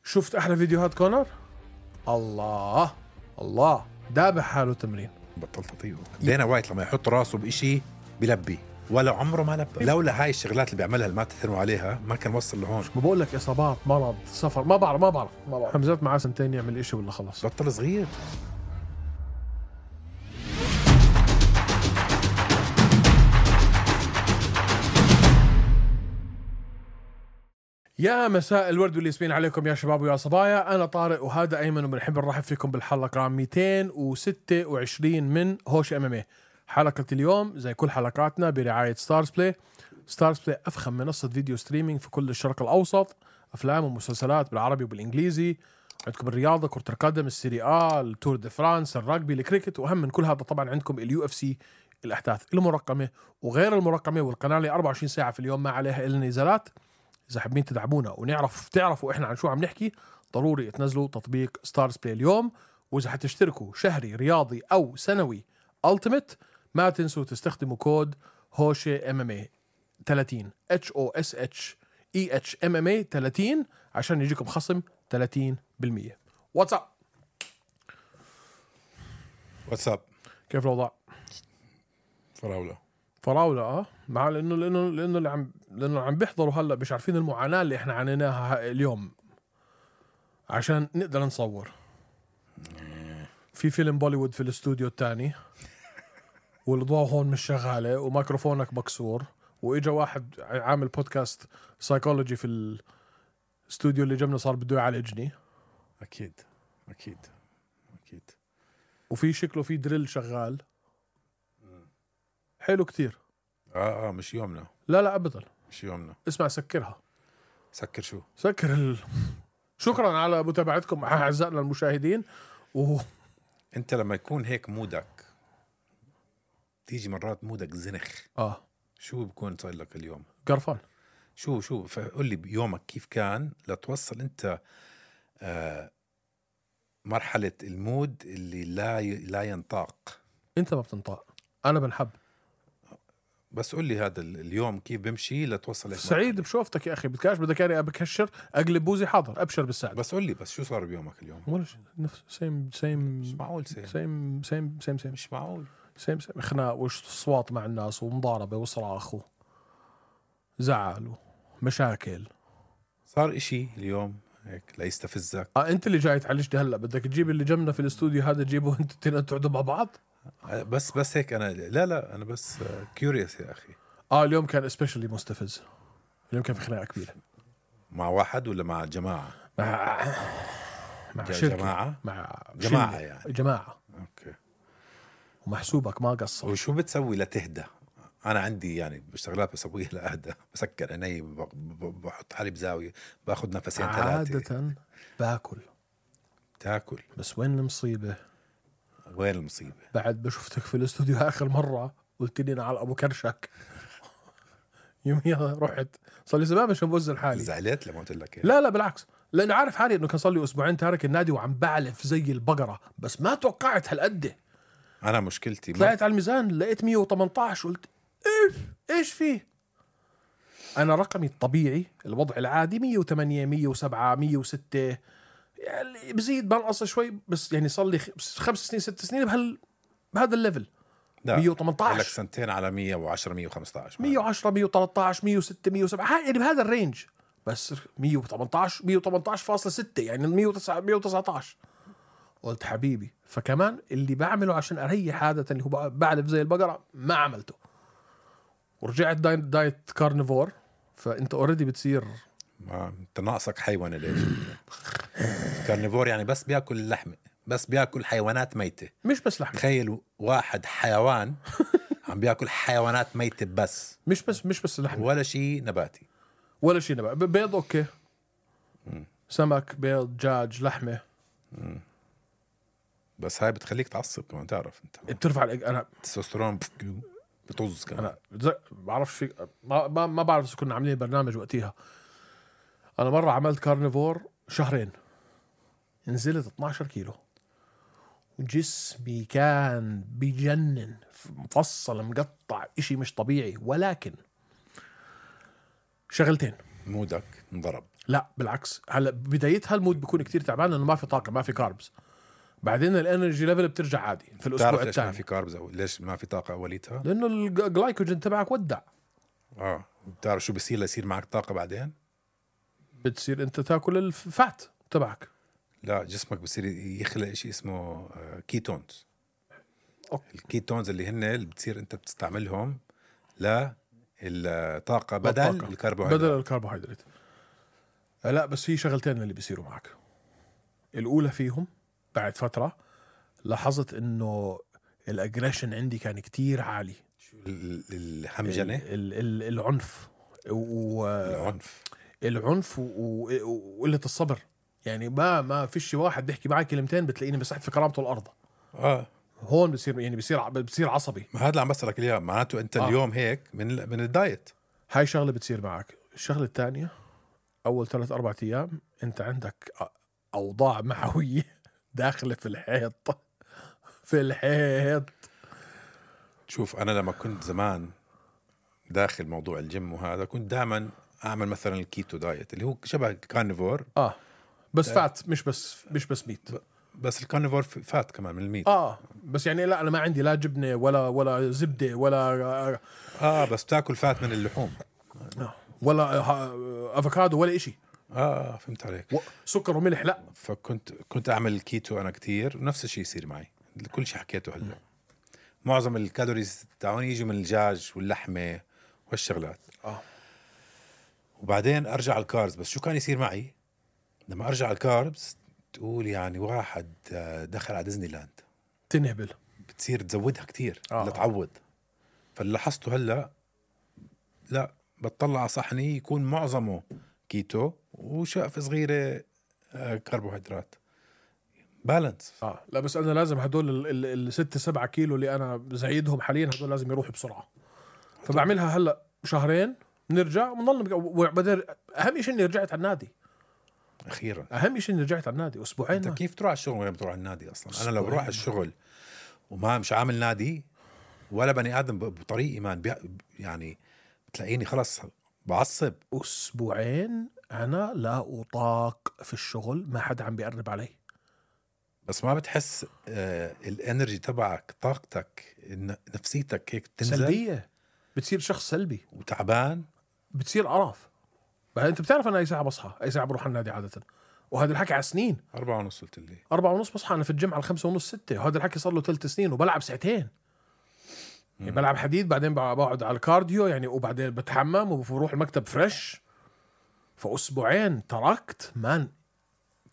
شفت احلى فيديوهات كونر؟ الله الله دابح حاله تمرين. بطل تطيبه. دينا وايت لما يحط راسه بإشي بلبي، ولا عمره ما لبى. لولا هاي الشغلات اللي بيعملها اللي ما تثنوا عليها ما كان وصل لهون. ما بقول لك اصابات، مرض، سفر، ما بعرف حمزات معاه سنتين يعمل إشي ولا خلص. بطل صغير. يا مساء الورد والياسمين عليكم يا شباب ويا صبايا. أنا طارق وهذا أيمن، وبنحب نرحب فيكم بالحلقة 226 من هوش MMA. حلقة اليوم زي كل حلقاتنا برعاية ستارز بلاي. ستارز بلاي أفخم منصة فيديو ستريمينج في كل الشرق الأوسط، أفلام ومسلسلات بالعربي وبالإنجليزي. عندكم الرياضة، كرة القدم، السيري آ، التور دي فرانس، الرugby، الكريكت، وأهم من كل هذا طبعا عندكم UFC، الأحداث المرقمة وغير المرقمة، والقناة اللي 24 ساعة في اليوم ما عليها إلا نزالات. إذا حابين تدعمونا تعرفوا إحنا عن شو عم نحكي، ضروري تنزلوا تطبيق ستارز بلاي اليوم. وإذا حتشتركوا شهري رياضي أو سنوي ألتيميت، ما تنسوا تستخدموا كود هوشة MMA 30 HOSHEH MMA 30 عشان يجيكم خصم 30%. واتساب كيف الوضع؟ فراولة مع لأنه اللي عم بيحضروا هلا مش عارفين المعاناة اللي احنا عانيناها اليوم عشان نقدر نصور. في فيلم بوليوود في الاستوديو الثاني والضوء هون مش شغالة وميكروفونك مكسور، وإجا واحد عامل بودكاست سايكولوجي في الاستوديو اللي جنبنا صار بده يعالجني. أكيد وفي شكله في دريل شغال حلو كتير. مش يومنا. لا أبدا مش يومنا. اسمع سكرها. سكر شو؟ شكرا على متابعتكم أعزائنا المشاهدين. انت لما يكون هيك مودك، تيجي مرات مودك زنخ، شو بكون صار لك اليوم؟ قرفان. شو فقول لي بيومك كيف كان لتوصل انت مرحلة المود اللي لا ينطاق. انت ما بتنطاق، انا بنحب. بس قول لي هذا اليوم كيف بمشي لتوصل هيك سعيد مرحلة. بشوفتك يا اخي، بدك اني بكشر اقلب بوزي، حاضر ابشر بالسعد. بس قول لي بس شو صار بيومك اليوم؟ ولا شيء، نفس سيم مش معقول. سيم مش معقول. سيم خناق وصوات مع الناس ومضاربة وصراخ وزعل ومشاكل. صار اشي اليوم هيك لا يستفزك؟ انت اللي جاي تعالجني هلا، بدك تجيب اللي جنبنا في الاستوديو هذا تجيبه انت تقعدوا مع بعض. بس هيك انا لا انا بس كيوريوس يا اخي. اليوم كان اسبيشلي مستفز. اليوم كان في خناقة كبيرة. مع واحد ولا مع جماعة؟ مع جماعة؟ مع جماعة يعني. جماعة. اوكي. ومحسوبك ما قصر. وشو بتسوي لتهدى؟ انا عندي يعني شغلات بسويها لأهدى. بسكر عيني، بحط حالي بزاوية، باخذ نفسين 3. عادة باكل. تاكل؟ بس وين المصيبة؟ وين المصيبة؟ بعد بشوفتك في الاستوديو آخر مرة قلت لي أنا على أبو كرشك. يوميها رحت صار لي زمان مش بوزن حالي. زعلت لما قلت لك؟ لا بالعكس، لأن عارف حالي إنه كان صار لي أسبوعين تارك النادي وعم بعلف زي البقرة، بس ما توقعت هالقد. أنا مشكلتي طلعت على الميزان لقيت 118، قلت إيش فيه؟ أنا رقمي الطبيعي الوضع العادي 108 107 106، يعني بزيد بنقص شوي، بس يعني صار لي 5 سنين 6 سنين بهذا الليفل. 118 لك سنتين على 110 115 110 113 106 107 يعني بهذا الرينج، بس 118.6 يعني 119. قلت حبيبي، فكمان اللي بعمله عشان أريح عادة اللي هو بعلف زي البقرة ما عملته، ورجعت دايت كارنيفور. فأنت أوريدي بتصير انت ناقصك حيوان. ليش كارنيفور؟ يعني بس بياكل لحمة، بس بياكل حيوانات ميتة، مش بس لحمة. تخيل واحد حيوان عم بياكل حيوانات ميتة بس مش بس لحمة، ولا شيء نباتي، ولا شيء نباتي. بيض اوكي، سمك، بيض، دجاج، لحمة. بس هاي بتخليك تعصب كمان، تعرف انت بترفع انا التستوستيرون بتوز كمان. انا بعرفش ما بعرف اذا كنا عاملين برنامج وقتها. انا مرة عملت كارنيفور 2 شهر، نزلت 12 كيلو، وجسمي كان بيجنن، مفصل مقطع، اشي مش طبيعي. ولكن شغلتين، مودك انضرب. لا بالعكس، هلا بدايتها المود بيكون كتير تعبان لانه ما في طاقه، ما في كاربز. بعدين الانرجي ليفل بترجع عادي في الاسبوع تعرف ليش ما الثاني. في كاربز او ليش ما في طاقه اوليتها؟ لانه الجلايكوجين تبعك ودع. بتعرف شو بصير ليصير معك طاقه بعدين؟ بتصير انت تاكل الفات تبعك. لا، جسمك بصير يخلق شيء اسمه كيتونز. الكيتونز اللي هن اللي بتصير انت بتستعملهم للطاقه بدل الكربوهيدرات. بدل الكربوهيدرات. لا بس في شغلتين اللي بيصيروا معك. الاولى فيهم بعد فتره لاحظت انه الاجريشن عندي كان كتير عالي. الهمجنه، العنف العنف وقله الصبر. يعني ما فيش واحد بيحكي معي كلمتين بتلاقيني مسحت في كرامته الارض. هون بصير يعني بصير عصبي. ما هذا اللي عم بسألك اياه، معناته انت اليوم هيك من الدايت. هاي شغله بتصير معك. الشغله الثانيه اول 3-4 ايام انت عندك اوضاع معويه داخله في الحيط. شوف انا لما كنت زمان داخل موضوع الجيم وهذا كنت دائما اعمل مثلا الكيتو دايت اللي هو شبه كارنيفور. بس فات مش بس ميت. بس الكارنيفور فات كمان من الميت. بس يعني لا انا ما عندي لا جبنه ولا زبده ولا بس تاكل فات من اللحوم ولا افوكادو ولا إشي. فهمت عليك. سكر وملح لا. كنت اعمل الكيتو انا كتير ونفس الشيء يصير معي. كل شيء حكيته هلا معظم الكالوريز تاعوني يجوا من الدجاج واللحمه والشغلات. وبعدين ارجع الكاربز. بس شو كان يصير معي لما ارجع الكاربز؟ تقول يعني واحد دخل على ديزني لاند تنهبل، بتصير تزودها كتير لتعود. فاللي لاحظته هلا لا بتطلع على صحني يكون معظمه كيتو وشقف صغيره كربوهيدرات بالانس. لا بس انا لازم هدول 6-7 كيلو اللي انا زايدهم حاليا هدول لازم يروحوا بسرعه. فبعملها هلا شهرين نرجع ونضل. اهم شيء اني رجعت على النادي اخيرا. اهم شيء اني رجعت على النادي. اسبوعين. انت كيف تروح على الشغل ولا بتروح على النادي اصلا؟ انا لو بروح على الشغل وما مش عامل نادي ولا بني ادم بطريق ايمان يعني بتلاقيني خلص بعصب. اسبوعين انا لا اطاق في الشغل، ما حدا عم بيقرب علي. بس ما بتحس الانرجي تبعك، طاقتك، نفسيتك هيك تنزل سلبيه؟ بتصير شخص سلبي وتعبان، بتصير قرف. بعدين انت بتعرف انا اي ساعه بصحى، اي ساعه بروح على النادي عاده، وهذا الحكي على سنين. 4:30 قلت لي 4:30 بصحى انا في الجيم على 5:30-6، وهذا الحكي صار له 3 سنين وبلعب ساعتين. يعني بلعب حديد بعدين بقعد على الكارديو يعني، وبعدين بتحمم وبروح المكتب فريش. فأسبوعين تركت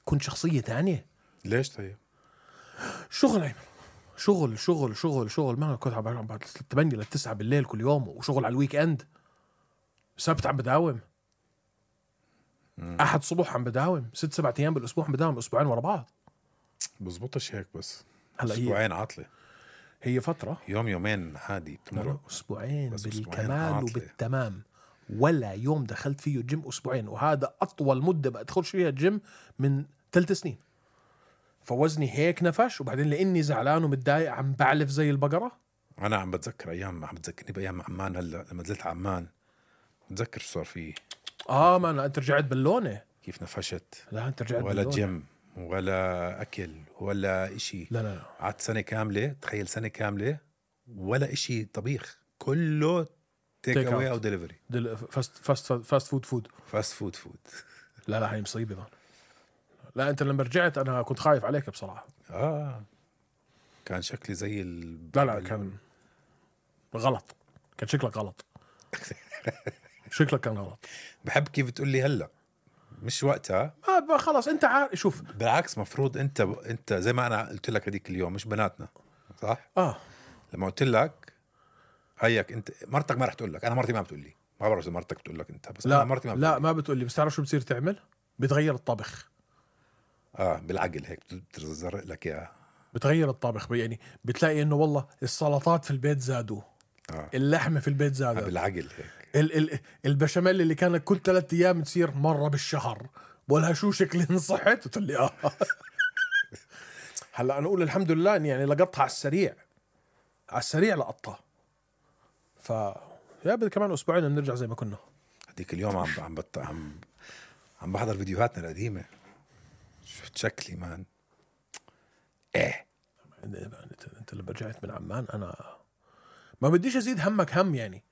كنت شخصية تانية. ليش طيب؟ شغل أيمن، شغل شغل شغل شغل. ما كنت عم بعد 8-9 بالليل كل يوم، وشغل على الويك اند. سبت عم بداوم، أحد صبح عم بداوم 6-7 أيام بالأسبوع عم بداوم، أسبوعين ورا بعض. بزبطش هيك. بس هلا أسبوعين عطلة، هي فترة يومين عادي بتمرق. أسبوعين بالكمال وبالتمام، ولا يوم دخلت فيه الجيم أسبوعين، وهذا أطول مدة بدخلش فيها الجيم من 3 سنين. فوزني هيك نفش، وبعدين لاني زعلان ومتضايق عم بعلف زي البقرة. انا عم بتذكر ايام، عم بتذكرني بايام عمان. هلا لما نزلت عمان بتذكر شو صار فيه. ما أنا أنت رجعت باللونة كيف نفشت. لا أنت رجعت ولا جيم ولا اكل ولا اشي. لا قعدت سنة كاملة، تخيل سنة كاملة ولا اشي طبيخ، كله تيك اواي او ديليفري. فاست فود. لا هاي مصيبة. لا انت لما رجعت انا كنت خايف عليك بصراحة. كان شكلي زي لا كان غلط، كان شكلك غلط. شكلك كان غلط. بحب كيف بتقول لي هلا مش وقتها. خلاص انت عارف. شوف بالعكس مفروض انت زي ما انا قلت لك هذيك اليوم، مش بناتنا صح؟ لما قلت لك هيك انت مرتك ما رح تقول لك. انا مرتي ما بتقول لي، ما بعرف اذا مرتك بتقول لك انت، بس لا انا مرتي ما بتقول لي. بس تعرف شو بتصير تعمل؟ بتغير الطبخ. بالعقل هيك بتزرق لك اياها. بتغير الطبخ يعني بتلاقي انه والله السلطات في البيت زادوا، اللحمه في البيت زادت. بالعقل هيك. البشاميل اللي كانت كل 3 ايام تصير مره بالشهر، بقولها شو شكلي صحت وتقول لي هلا انا اقول الحمد لله اني يعني لقطها على السريع لقطها. يا بدي كمان اسبوعين بنرجع زي ما كنا. هديك اليوم عم بحضر فيديوهاتنا القديمة، شفت شكلي مان. ايه انت اللي رجعت من عمان، انا ما بديش ازيد همك هم يعني.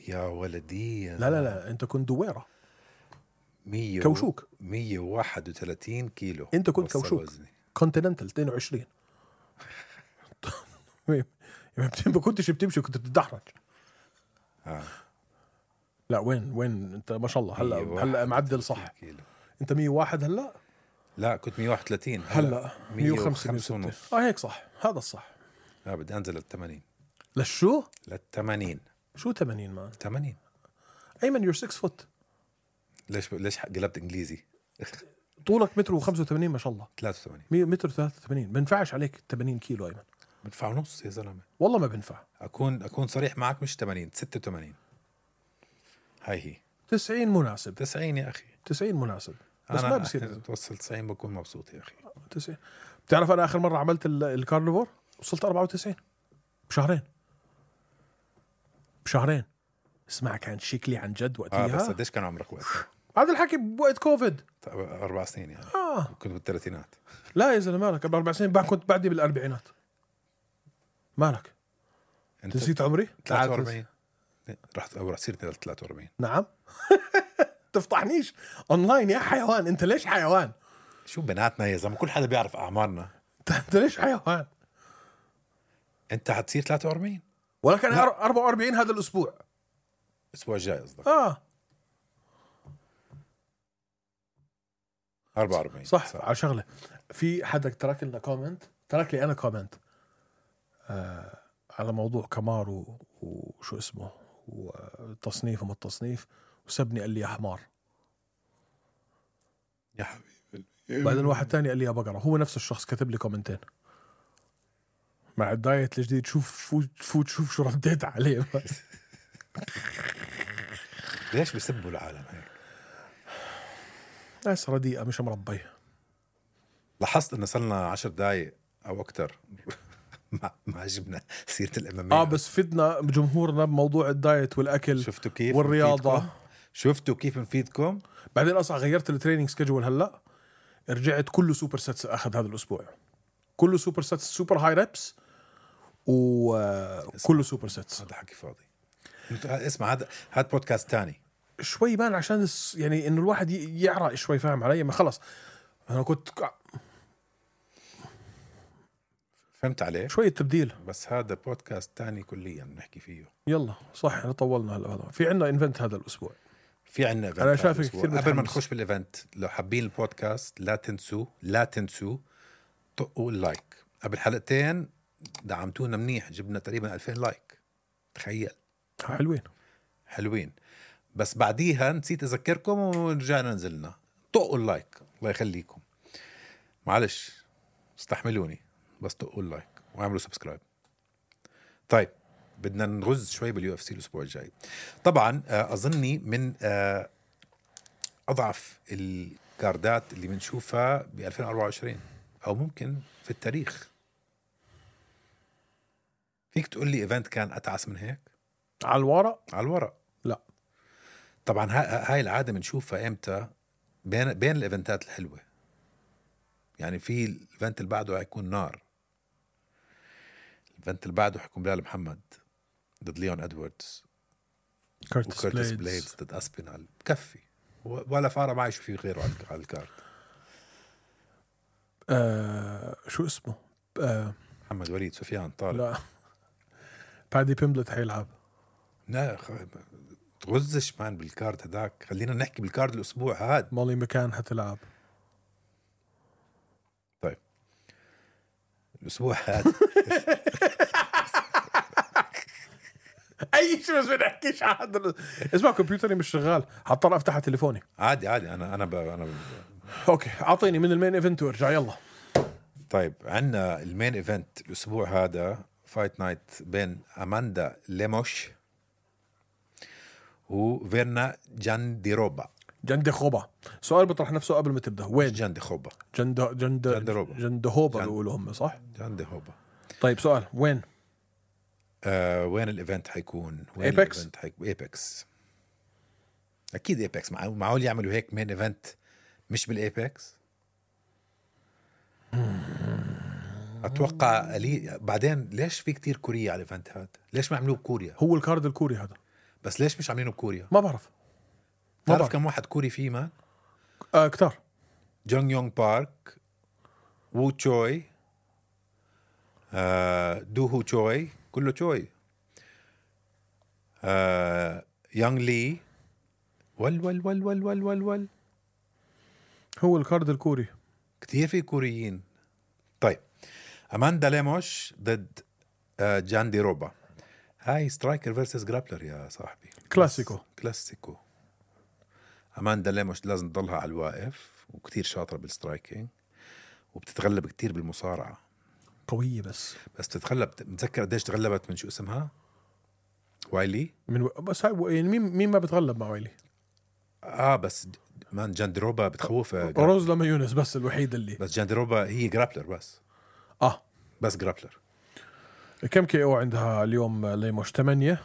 يا ولدي لا انت كنت دويرة 100 كوشوك 131 كيلو. انت كنت كوشوك وزني. كونتيننتال 22. ما كنتش بتمشي، كنت بتدحرج. لا وين انت ما شاء الله هلا معدل صح كيلو. انت 101 هلا؟ لا كنت 131 هلا 105 ونص. هيك صح، هذا الصح. لا بدي انزل لل80. للشو؟ لل80. شو 80 مان؟ 80. ايمن يور 6 فوت. ليش قلبت انجليزي؟ طولك متر و85 ما شاء الله. 83 متر 83. بنفعش عليك 80 كيلو ايمن. بدفع نص يا زلمه والله ما بنفع. اكون صريح معك، مش 80 86. هي 90 مناسب. 90 يا اخي 90 مناسب، بس أنا ما بصير توصل 90 بكون مبسوط يا اخي. 90. بتعرف انا اخر مره عملت الكارنيفور وصلت 94 بشهرين. اسمع كان شكلي عن جد وقتها. بس قديش كان عمرك وقتها؟ هذا الحكي بوقت كوفيد. 4 سنين يعني. كنت بالثلاثينات. لا يا زلمه مالك، قبل 4 سنين كنت بعدي بالاربعينات. مالك انت نسيت عمري؟ 43. رحت سيرتي 43. نعم. تفضحنيش اونلاين يا حيوان. انت ليش حيوان؟ شو بناتنا يا زلمه، كل حدا بيعرف اعمارنا. انت ليش حيوان؟ انت حتصير 43 ولكن 44 هذا الاسبوع. الاسبوع الجاي قصدك؟ 44 صح. على شغله، في حدا ترك لنا كومنت، ترك لي انا كومنت على موضوع كمار وشو اسمه وتصنيف وما التصنيف، وسبني قال لي يا حمار يا حبيبي. بعدين واحد تاني قال لي يا بقرة. هو نفس الشخص كتب لي كومنتين مع الدايت الجديد. شوف شوف شو رديت عليه. ليش بيسبوا العالم هيك؟ ناس رديئة مش مربية. لاحظت انه صلنا 10 دقايق او اكتر ما عجبنا سيرة الامامية. بس فدنا جمهورنا بموضوع الدايت والاكل. شفتوا كيف والرياضة. شفتوا كيف نفيدكم. بعدين اصلا غيرت التريننج سكجول. هلا رجعت كله سوبر سيتس. اخذ هذا الاسبوع كله سوبر سيتس، سوبر هاي ريبس وكله سوبر سيتس. هذا حكي فاضي. اسمع هذا بودكاست تاني شوي بان عشان يعني انه الواحد يعرق شوي. فاهم علي؟ ما خلص انا كنت فهمت عليه شوية تبديل. بس هذا بودكاست تاني كليا نحكي فيه. يلا صح احنا طولنا. هلا في عنا انفنت هذا الاسبوع. في عنا ايفنت. انا شايفك كثير قبل ما نخش بالايفنت، لو حابين البودكاست لا تنسوا طقوا اللايك. قبل حلقتين دعمتونا منيح، جبنا تقريبا 2000 لايك. تخيل. حلوين. بس بعديها نسيت اذكركم ورجعنا نزلنا. طقوا اللايك الله يخليكم. معلش استحملوني، بس طقوا اللايك واعملوا سبسكرايب. طيب بدنا نغز شوي باليو اف سي الاسبوع الجاي. طبعا اظني من اضعف الكاردات اللي بنشوفها ب 2024 او ممكن في التاريخ. فيك تقول لي ايفنت كان اتعس من هيك على الورق؟ لا طبعا. هاي العاده بنشوفها امتى؟ بين الايفنتات الحلوه. يعني في الايفنت اللي بعده هيكون نار. الايفنت اللي بعده حيكون بلال محمد ضد ليون ادواردز، كورتس بليدز ضد اسبينال. بكفي ولا فارق معي شو في غيره على الكارت. شو اسمه؟ محمد وليد سفيان طارق. لا بادي بيمبلت حيلعب. لا تغزش مان بالكارت هداك. خلينا نحكي بالكارت الاسبوع هاد. مولي مكان حتلعب. طيب الاسبوع هاد اي شيء بس بنحكيش عن اسمع كمبيوتري مش شغال، حضطر افتح تليفوني. عادي انا اوكي اعطيني من المين ايفنت وارجع يلا. طيب عندنا المين ايفنت الاسبوع هذا فايت نايت بين اماندا ليموش وفيرنا جانديروبا. سؤال بطرح نفسه قبل ما تبدا. وين جانديروبا؟ جندهوبا بيقولوا هم صح؟ جانديروبا. طيب سؤال وين؟ وين الايفنت حيكون؟ ايبكس. ايبكس. اكيد ايباكس معقول يعملوا هيك مين ايفنت مش بالايباكس. اتوقع بعدين ليش في كتير كوريا على الايفنت هذا؟ ليش ما عملوه بكوريا؟ هو الكارد الكوري هذا، بس ليش مش عاملينه بكوريا؟ ما بعرف. تعرف كم واحد كوري فيه مان؟ كتار. جونغ يونغ بارك، وو تشوي، دو هو تشوي، كله تشوي، يانغ لي، ول هو الكارد الكوري كتير في كوريين. طيب أماندا ليموش ضد جاندي روبا. هاي سترايكر فيرسس جرابلر يا صاحبي، كلاسيكو. أماندا ليموش لازم تضلها على الواقف، وكتير شاطرة بالسترايكينج، وبتتغلب كتير بالمصارعة، قوية بس تتغلب. متذكر قديش تغلبت من شو اسمها؟ وايلي. بس هاي يعني مين ما بتغلب مع وايلي؟ بس مان جاندروبا بتخوف. روز لما يونس بس الوحيد اللي بس جاندروبا هي جرابلر بس. بس جرابلر. كم كي او عندها اليوم ليموش؟ 8،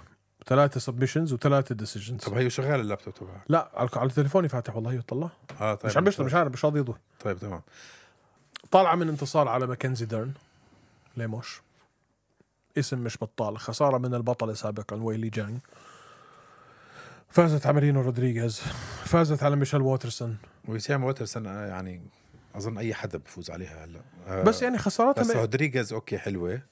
3 سبمشنز و3 ديسيجنز. طب هي شغال اللابتوب تبعها؟ لا على تليفوني فاتح والله يطلع. طيب مش عم بشتغل، مش عارف، مش راضي يضوي. طيب تمام. طالعة من انتصار على ماكنزي ديرن. ليموش اسم مش بطال، خسارة من البطل سابقا ويلي جانج. فازت على مارينو رودريغيز، فازت على ميشيل ووترسون. وسام ووترسون يعني أظن أي حدا بفوز عليها هلا. بس يعني خساراتها بس رودريغيز أوكي حلوة،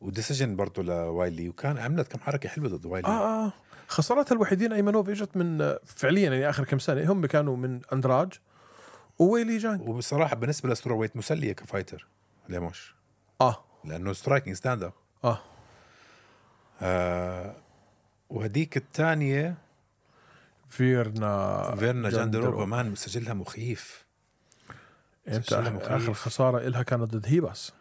وديسيجن برضو لوايلي، وكان عملت كم حركة حلوة ضد وايلي. خساراتها الوحيدين أيمنوف إجت من فعليا يعني آخر كم سنة هم كانوا من أندراج وويلي جانج. وبصراحة بالنسبة لسترو ويت مسلية كفايتر ليموش. لأنه سترايكينج ستاند اب. وهديك الثانية فيرنا جاندروبا مان مسجلها مخيف. انت اخر خسارة إلها كانت ضد هيباس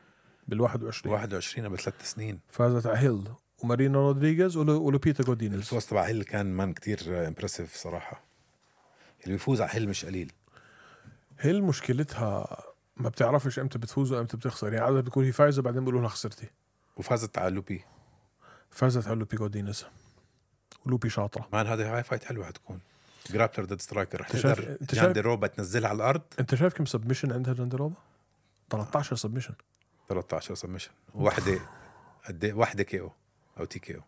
بال21 قبل 3 سنين. فازت على هيل ومارينا رودريغيز ولوبيتا جودينيز. الفوز تبع هيل كان مان كتير امبرسيف صراحة. اللي بيفوز على هيل مش قليل. هيل مشكلتها ما بتعرفش امتى بتفوز وامتى بتخسر، يعني عادة بتكون هي فايزة بعدين بيقولوا لها خسرتي. وفازت على لوبي. فازت على لوبي جودينيز، ولوبي شاطرة مان. هاي فايت حلوة حتكون. جرابلر ضد سترايكر. رح تقدر جاندروبا تنزلها على الأرض. انت شايف كم سبمشن عندها جاندروبا؟ 13 سبمشن. 13 سبمشن. واحدة واحدة كي او أو تي كي او.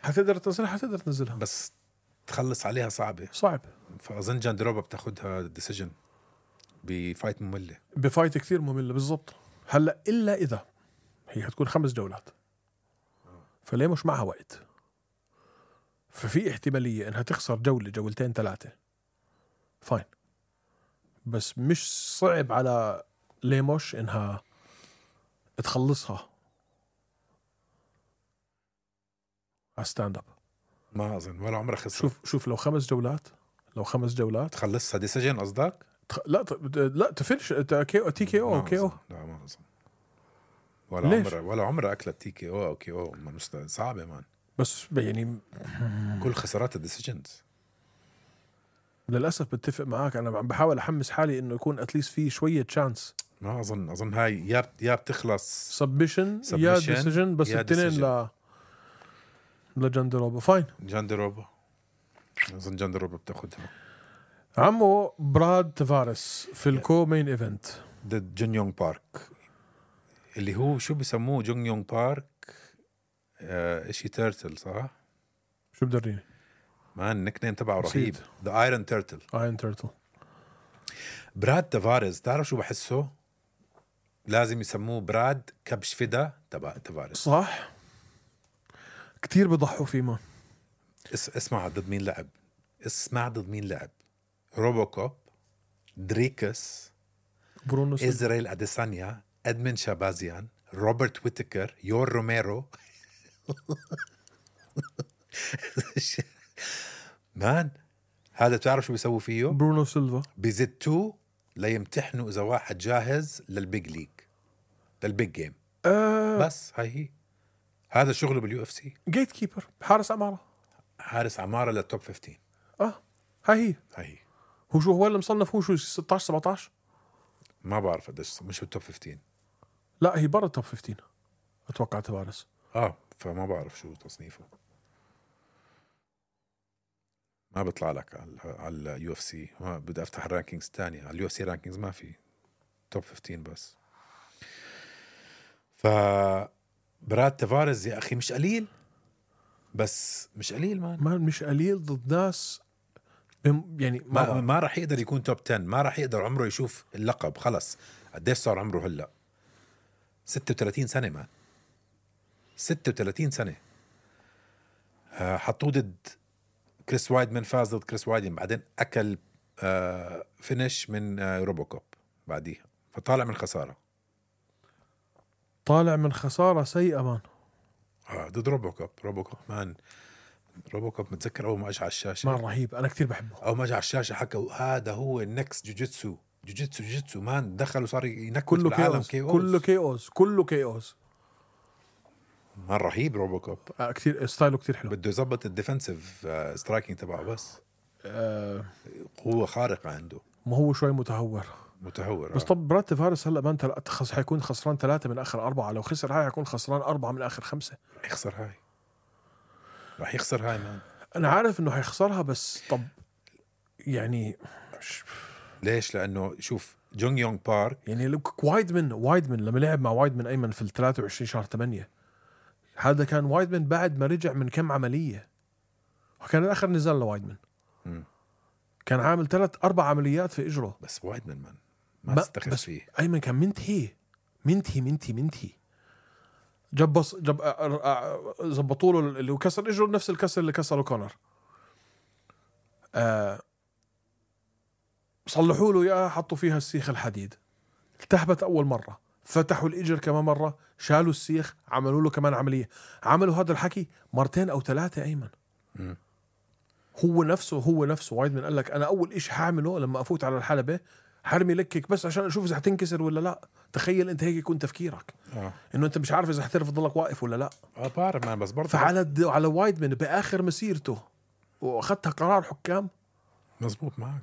حتقدر تنزلها بس تخلص عليها صعب. فأظن جاندروبا بتاخدها ديسيجن بفايت مملة. بفايت كثير مملة بالضبط. هلا إلا إذا هي هتكون 5 جولات، فليه مش معها وقت، ففي احتمالية انها تخسر جولة جولتين 3 فاين. بس مش صعب على ليموش انها تخلصها على ستاند اب. ما اظن ولا عمرها خسر. شوف لو 5 جولات تخلصها ديسيجن قصدك؟ لا تفنش تي كي او. لا ما اظن. ولا عمرها اكلت تي كي او كي او. صعبة مان. بس يعني كل خسارات الديسيجنز. للأسف بتفق معاك. أنا بحاول أحمس حالي إنه يكون أتليست فيه شوية تشانس. ما أظن هاي يا بتخلص سبمشن يا ديسيجن. بس التنين لجاندروبا فاين. أظن جاندروبا بتاخدها. عمو براد تافاريس في الكو مين إيفنت ضد جون يونغ بارك، اللي هو شو بيسموه جون يونغ بارك إشي تيرتل صح؟ شو بدريني؟ مان النيك نيم تبعه رهيب. The Iron Turtle. براد تافاريس تعرف شو بحسه؟ لازم يسموه براد كبش فدا تبع تافاريس. صح. كتير بضحوا فيه مان. اسمع ضد مين لعب. روبوكوب، دريكس، برونو إزرائيل أديسانيا، أدمن شابازيان، روبرت ويتكر، يور روميرو. مان هذا تعرف شو بيسووا فيه؟ برونو سيلفا بيزتوه ليمتحنوا إذا واحد جاهز للبيج ليج، للبيج جيم. بس هاي هذا شغله باليو اف سي. جيت كيبر، حارس عمارة للتوب 15. هاي هو اللي مصنف. هو شو 16 17 ما بعرف قديش. مش بالتوب 15. لا هي برا التوب 15 اتوقع تفارس. فما بعرف شو تصنيفه. ما بيطلع لك على اليو اف سي. ما بدي افتح الرانكينجز تانية. على اليو اف سي رانكينجز ما في، توب 15 بس. براد تافاريز يا اخي مش قليل، بس مش قليل ما مش قليل ضد ناس يعني ما راح يقدر يكون توب 10. ما راح يقدر عمره يشوف اللقب. خلص قديش صار عمره هلا؟ 36 سنة مان، 36 سنة. حطوه ضد كريس وايدمان، فاز ضد كريس وايدمان، بعدين أكل فينيش من روبوكوب بعديها، فطالع من خسارة. طالع من خسارة سيئة مان. ضد روبوكوب مان. روبوكوب متذكر أول ما أجى على الشاشة مان رهيب، أنا كتير بحبه. أول ما أجى على الشاشة حكوا هذا هو النكست جوجيتسو مان. دخل وصار ينكت كله بالعالم كله كيوز. مان رهيب روبوكوب. كتير ستايله كتير حلو. بده يظبط الديفنسيف سترايكينج تبعه بس. قوة خارقة عنده. ما هو شوي متهور. بس طب براد تافاريز هلا بان حيكون خسران 3 من آخر 4. لو خسر هاي حيكون خسران 4 من آخر 5. يخسر هاي، راح يخسر هاي مان. أنا عارف إنه حيخسرها، بس طب يعني ليش؟ لأنه شوف جونغ يونغ بارك يعني وايدمن لما لعب مع وايدمن أيمن في 23 شهر 8، هذا كان وايدمن بعد ما رجع من كم عملية، وكان الآخر نزال لوايدمن. كان عامل 3-4 عمليات في إجره. بس وايدمن مان ما استخف فيه. أيمن كان منتهي. جب زبطوا له اللي هو كسر إجره نفس الكسر اللي كسره كونر. صلحوا له إياها، حطوا فيها السيخ الحديد، التهبت أول مرة، فتحوا الإجر كمان مرة، شالوا السيخ، عملوا له كمان عملية. عملوا هذا الحكي 2 أو 3 أيمن. هو نفسه وايدمن قال لك أنا أول إشي حاعمله لما أفوت على الحلبة حرمي لكك بس عشان أشوف إذا هتنكسر ولا لا. تخيل أنت هيك يكون تفكيرك، إنه أنت مش عارف إذا هتعرف تضلك واقف ولا لا. بعرف مان، بس برضه على وايدمن بآخر مسيرته وأخذتها قرار حكام. مزبوط معك.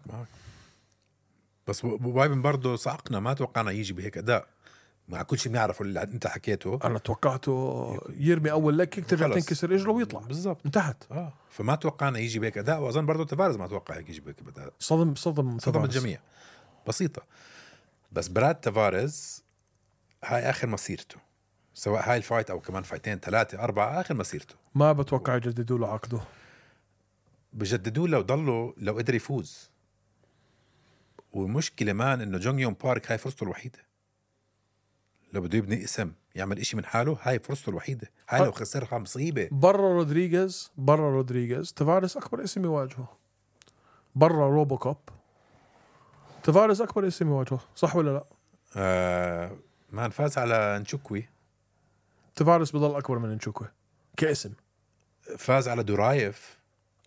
بس وايدمن برضه صعقنا، ما توقعنا يجي بهيك أداء مع كل شيء بنعرفه اللي أنت حكيته. أنا توقعته يرمي أول لكك ترجع تنكسر إجره ويطلع بالضبط، انتهت. فما توقعنا يجي بهيك أداء. وأظن برضه تافاريز ما توقع يجي بهيك أداء. صدم الجميع. بسيطة. بس براد تافاريز هاي آخر مسيرته، سواء هاي الفايت أو كمان فايتين 3 4 آخر مسيرته. ما بتوقع يجددوا له عقده. بجددوا له ضلوا لو قدر يفوز. والمشكلة مان إنه جونغ يونغ بارك هاي فرصته الوحيدة. لو بده يبني اسم يعمل إشي من حاله، هاي فرصته الوحيدة. هاي لو خسرها مصيبة. برا رودريغيز تافاريز أكبر اسم يواجهه. برا روبوكوب تافاريز أكبر اسم يواجهه، صح ولا لا؟ ما فاز على نشوكوي. تافاريز بضل أكبر من نشوكوي كاسم. فاز على دورايف.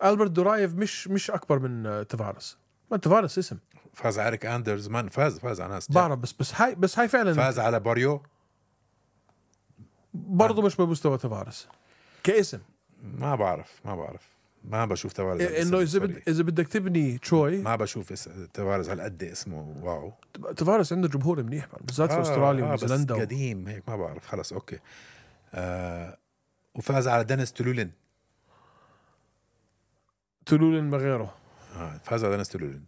ألبرت دورايف مش أكبر من تافاريز. ما تافاريز اسم. فاز على إريك أندرز. ما فاز على ناس بعرف، بس هاي فعلا. فاز على باريو برضو مش بمستوى تافاريز كاسم. ما بعرف ما بشوف تافاريز انه اذا بدك تبني تروي، ما بشوف تافاريز هالقد اسمه واو. تافاريز عنده جمهور منيح بالذات في استراليا ونيوزيلندا بس قديم هيك ما بعرف. خلص اوكي. وفاز على دينيس تولولين ما غيره. فاز على دينيس تولولين.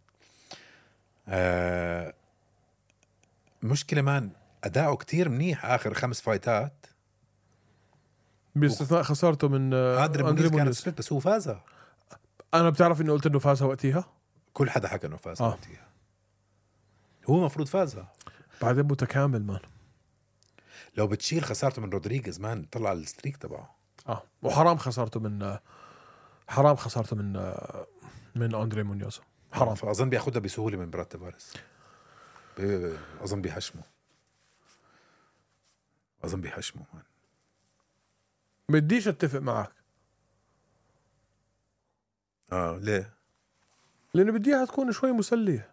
مشكلة مان أداؤه كتير منيح آخر 5 فايتات باستثناء خسارته من أندري مونيز. بس هو فازها. أنا بتعرف إنه قلت إنه فازها وقتها. كل حدا حكى إنه فازها وقتها. هو مفروض فازها. بعدين متكامل مان. لو بتشيل خسارته من رودريغيز مان طلع الستريك تبعه. وحرام خسارته من أندري مونيوز. حرام. فأظن بياخدها بسهولة من براد تافاريز. أظن بيحشمه مان. بديش اتفق معك. ليه؟ لأنه بديها تكون شوي مسلية.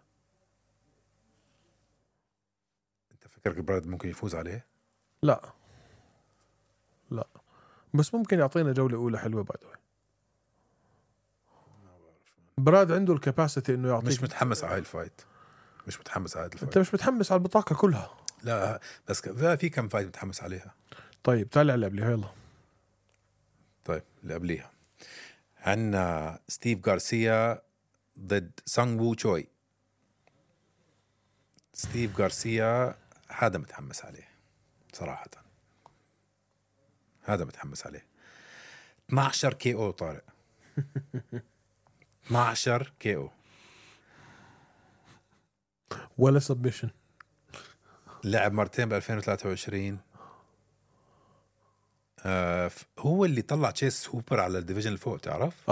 انت فكرك براد ممكن يفوز عليه؟ لا بس ممكن يعطينا جولة أولى حلوة بعد. براد عنده الكاباسيتي إنه يعطيك. مش متحمس على هاي الفايت. انت مش متحمس على البطاقة كلها. لا بس في كم فايت متحمس عليها. طيب تعال اللي قبليها يلا. طيب اللي قبليها عندنا ستيف غارسيا ضد سانغ وو تشوي. ستيف غارسيا هذا متحمس عليه صراحة، هذا متحمس عليه. 12 كي او طارق. 12 كي او ولا سبمشن. لعب مرتين ب 2023. هو اللي طلع تشيس هوبر على الديفيجن اللي فوق، تعرف؟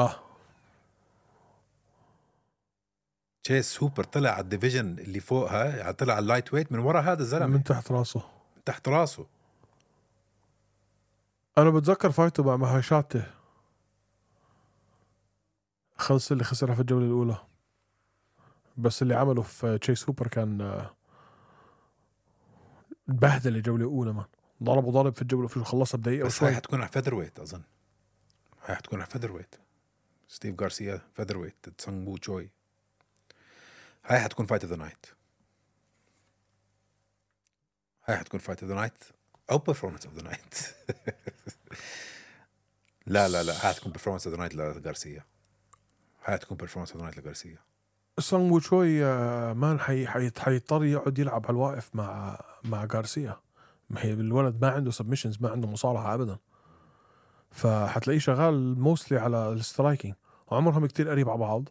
تشيس هوبر طلع على الديفيجن اللي فوقها، يعني طلع على اللايت ويت من ورا هذا الزلمة، من تحت راسه. من تحت راسه. انا بتذكر فايته مع مهاشاته خلص اللي خسرها في الجولة الأولى، بس اللي عمله في تشيس هوبر كان بهدل الجولة الأولى. ما ضرب في الجولة في خلصها بدقيقة بس هاي حتكون على فيذر ويت أظن. هاي حتكون على فيذر ويت. ستيف غارسيا فيذر ويت سانغ وو تشوي. هاي حتكون فايت اوف ذا نايت. هاي حتكون فايت اوف ذا نايت أو بيرفورمانس اوف ذا نايت. لا هاي حتكون بيرفورمانس اوف ذا نايت لغارسيا. هاي حتكون بيرفورمانس اوف ذا نايت لغارسيا. سانغ وو تشوي مان حيضطر يقعد يلعب على الواقف مع غارسيا. ما هي الولد ما عنده سبمشنز، ما عنده مصارعة أبدا، فحتلاقيه شغال موستلي على السترايكينج. وعمرهم كتير قريب على بعض،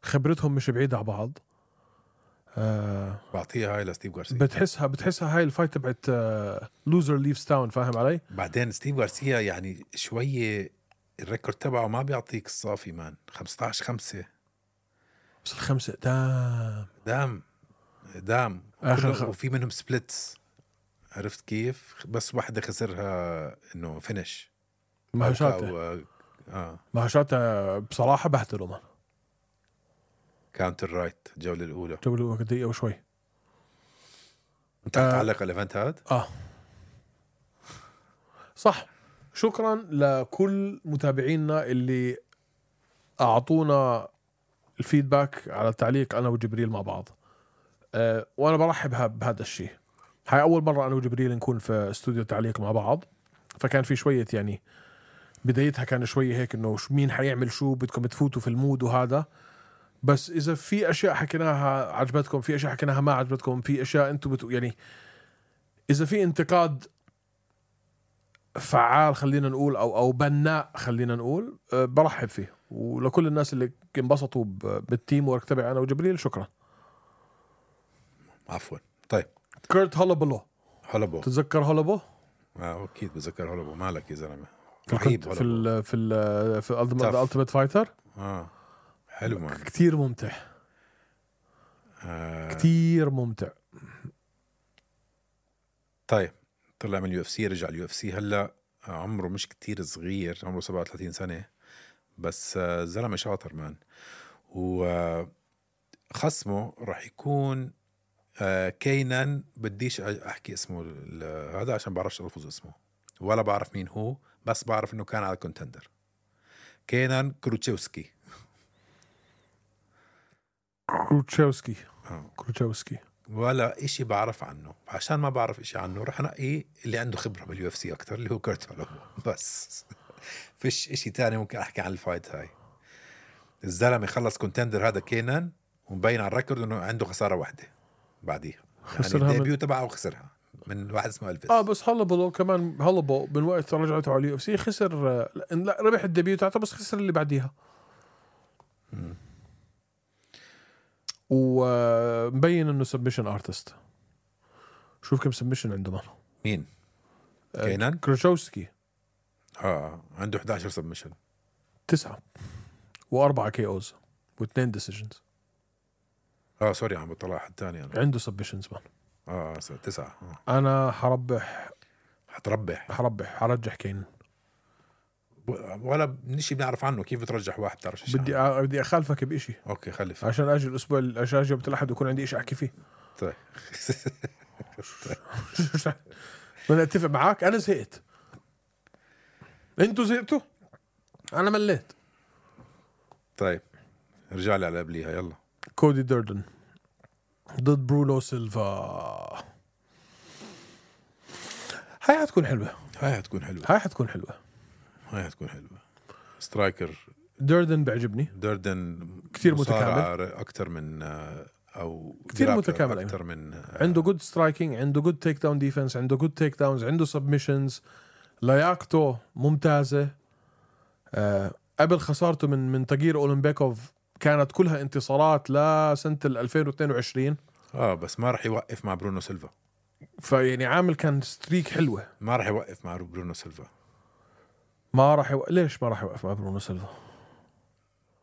خبرتهم مش بعيدة على بعض. بعطيها هاي لستيف غارسيا. بتحسها هاي الفايت تبعت لوزر ليفز تاون، فاهم علي؟ بعدين ستيف غارسيا يعني شوية الريكورد تبعه ما بيعطيك الصافي مان. 15-5 بس الخمسة دام وفي منهم سبليتس، عرفت كيف؟ بس واحدة خسرها انه فينش. مهاشاته بصراحة بهدلوا مان. كاونتر رايت الجولة الأولى دقيقة وشوي. انت تعلق على الايفنت هاد؟ صح. شكرا لكل متابعينا اللي أعطونا الفيدباك على التعليق أنا وجبريل مع بعض. وأنا برحب بهذا الشيء. هاي أول مرة أنا وجبريل نكون في استوديو تعليق مع بعض، فكان في شوية يعني بدايتها كان شوية هيك إنه مين حيعمل شو، بدكم تفوتوا في المود وهذا. بس إذا في أشياء حكيناها عجبتكم، في أشياء حكيناها ما عجبتكم، في أشياء أنتوا يعني إذا في انتقاد فعال خلينا نقول أو بناء خلينا نقول، برحب فيه. ولكل الناس اللي انبسطوا بالتيم ورك تبعي أنا وجبريل، شكرا. عفوا. طيب كيرت هولوبو. تتذكر هولوبو؟ أكيد بتذكر هولوبو. مالك يا زلمة؟ رهيب في الالتيميت فايتر. حلو مان. كتير ممتع. كتير ممتع. طيب طلع من اليو اف سي، رجع اليو اف سي هلا. عمره مش كتير صغير، عمره 37 سنة، بس زلمة شاطر مان. وخصمه راح يكون كينان. بديش احكي اسمه هذا عشان بعرفش الفظ اسمه، ولا بعرف مين هو، بس بعرف انه كان على الكونتندر. كينان كروتشوسكي. ولا اشي بعرف عنه. عشان ما بعرف اشي عنه رح نقي اللي عنده خبرة باليو اف سي اكتر، اللي هو كيرت هولوبو. بس فيش اشي تاني ممكن احكي عن الفايت هاي. الزلمة خلص كونتندر هذا كينان، ومبين على الريكورد انه عنده خسارة واحدة بعديها، يعني الديبيو تبعه وخسرها من واحد اسمه ألفيس. بس هولوبو كمان، هولوبو من وقت رجعته على اليو اف سي خسر. لا ربح الديبيو تاعته بس خسر اللي بعديها. ومبين انه سبمشن ارتست. شوف كم سبمشن عنده مان. مين؟ كينان كروتشوسكي. عنده 11 سبمشن، 9 و4 كي اوز و2 ديسيجنز. سوري عم بطلع حد تاني أنا. عنده سبمشنز مان. 9. انا حرجح كين. ولا نشي بنعرف عنه. كيف بترجح واحد بتعرفش؟ بدي اخالفك بإشي. اوكي خلف عشان اجي الاسبوع عشان اجي الاحد ويكون عندي إشي احكي فيه. طيب بدي اتفق معاك. انا زهقت، انتوا زهقتوا، انا مليت. طيب رجع لي على قبليها. يلا. كودي دردن ضد برونو سيلفا. هاي حتكون حلوة. هاي حتكون حلوة. سترايكر دردن بيعجبني دردن كتير مصارع متكامل. اكتر من او كتير grappler متكامل اكتر من عنده جود سترايكينج، عنده جود تيك داون ديفنس، عنده جود تيك داونز، عنده سبمشنز، لياقته ممتازة. قبل خسارته من تاجير أولمبيكوف كانت كلها انتصارات لسنة 2022. بس ما راح يوقف مع برونو سيلفا. فيعني عامل كان ستريك حلوة. ما راح يوقف مع برونو سيلفا. ليش ما راح يوقف مع برونو سيلفا؟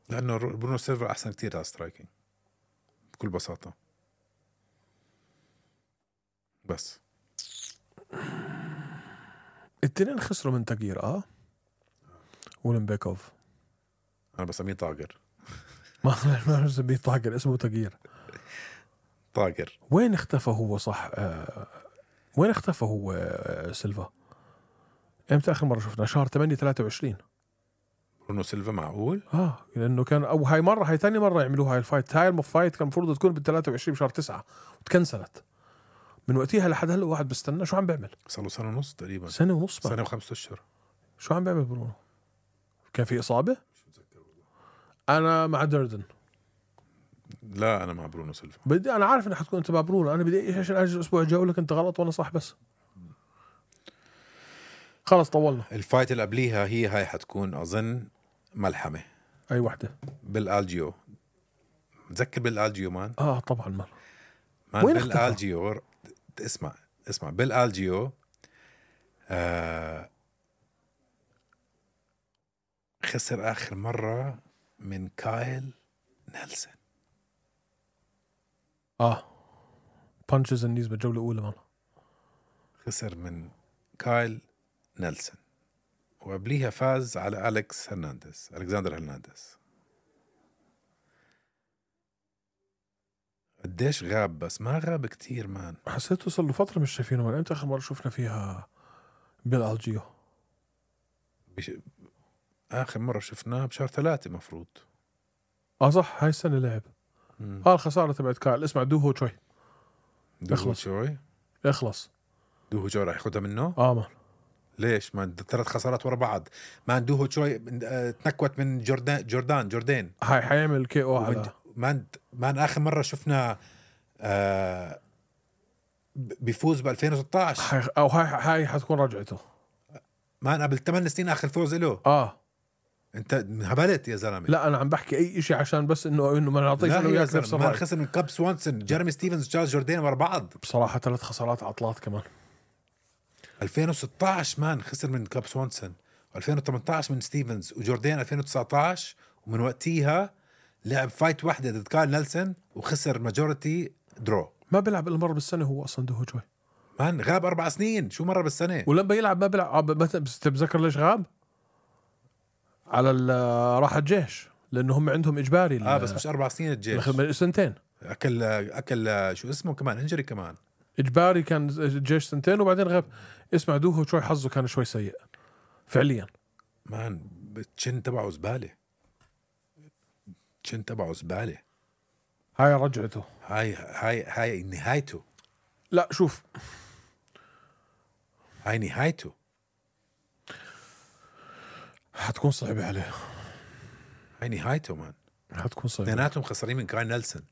لأنه برونو سيلفا أحسن كتير على سترايكينج بكل بساطة. بس التنين خسروا من تاجير أولمبيكوف. أنا بسميه طاقر. ما بسميه طاقر، اسمه تاجير. طاقر. وين اختفى هو؟ صح. وين اختفى هو سيلفا؟ امتى اخر مره شفنا؟ شهر 8/23. برونو سيلفا معقول؟ لانه كان هاي ثاني مره يعملوها هاي الفايت. هاي الفايت كان المفروض تكون بال23 بشهر 9 وتكنسلت. من وقتها لحد هلا واحد بستنى. شو عم بيعمل؟ صار له سنة ونص تقريبا. سنه ونص بقى. سنة و5 أشهر. شو عم بيعمل برونو؟ كان في اصابه. انا مع دردن. لا أنا مع برونو سيلفا. انا عارف انك حتكون انت مع برونو. انا بدي عشان اجي الاسبوع الجاي اقول لك انت غلط وانا صح. بس خلص طولنا. الفايت اللي قبليها هاي حتكون أظن ملحمة. اي وحده؟ بالالجيو. متذكر بالالجيو مان؟ طبعا مان وين بالالجيو؟ اسمع بالالجيو خسر آخر مرة من كايل نيلسون. بانشز النيز بالجولة الأولى مان. خسر من كايل نيلسون وقبليها فاز على ألكساندر هرنانديز. قديش غاب؟ بس ما غاب كتير مان. حسيته صار له فترة مش شايفينه. من امتى آخر مرة شفنا فيها بالالجيو؟ آخر مرة شفناه بشهر 3 مفروض. صح، هاي السنة لعب. الخسارة تبعت كايل. اسمع دوهو شوي. اخلص. دوهو شوي راح ياخدها منه. مان ليش؟ ما 3 خسارات ورا بعض. ما دوهو شوي تنكوت من جوردان. هاي حيعمل كي او على ما آخر مرة شفنا بيفوز ب 2016. هاي حتكون رجعته. ما قبل 8 سنين آخر فوز له. انت هبلت يا زلمه. لا انا عم بحكي اي اشي عشان بس انه ما نعطيش انه وياك نفس الرأي. ما خسر من كاب سوانسون، جيرمي ستيفنز، تشارلز جوردين ورا بعض. بصراحه 3 خسارات عطلات كمان. 2016 مان خسر من كاب سوانسون، 2018 من ستيفنز، وجوردين 2019. ومن وقتها لعب فايت واحده ضد كايل نيلسون وخسر ماجورتي درو. ما بيلعب الا مره بالسنه هو اصلا دوهو شوي مان. غاب 4 سنين. شو مره بالسنه؟ ولما يلعب ما بيلعب. بتتذكر ليش غاب؟ على راح الجيش لانه هم عندهم اجباري. بس مش 4 سنين الجيش، 2 اكل شو اسمه كمان انجري كمان اجباري. كان الجيش 2 وبعدين غاب. اسمع دوهو شوي حظه كان شوي سيء فعليا مان. التشن تبعه زباله. هاي رجعته. هاي نهايته. لا شوف، هاي نهايته. حتكون صعبة عليه. هاي نهايته مان. حتكون صعبة. اثنيناتهم خسرين من كايل نيلسون.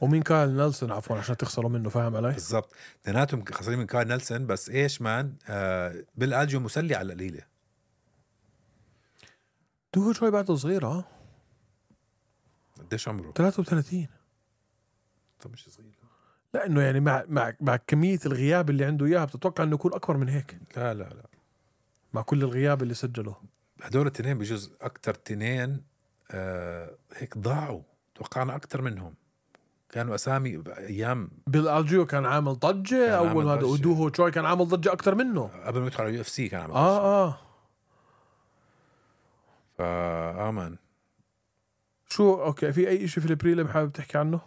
ومين كايل نيلسون عفوا عشان تخسروا منه. فاهم علي؟ بالضبط. اثنيناتهم خسرين من كايل نيلسون. بس ايش مان بالالجيو مسلي على القليلة. دوهو شوي بعده صغير. قديش عمره؟ 33. طب مش صغير. لا انه يعني مع كمية الغياب اللي عنده اياها بتتوقع انه يكون اكبر من هيك. لا مع كل الغياب اللي سجله. هدول التنين بجوز اكتر تنين هيك ضاعوا. توقعنا اكتر منهم. كانوا اسامي ايام. بالالجيو كان عامل ضجة اول هذا. ودوهو شوي كان عامل ضجة اكتر منه قبل ما يدخل على UFC كان عامل ضجة. مان شو اوكي. في اي اشي في البريلم حابب تحكي عنه؟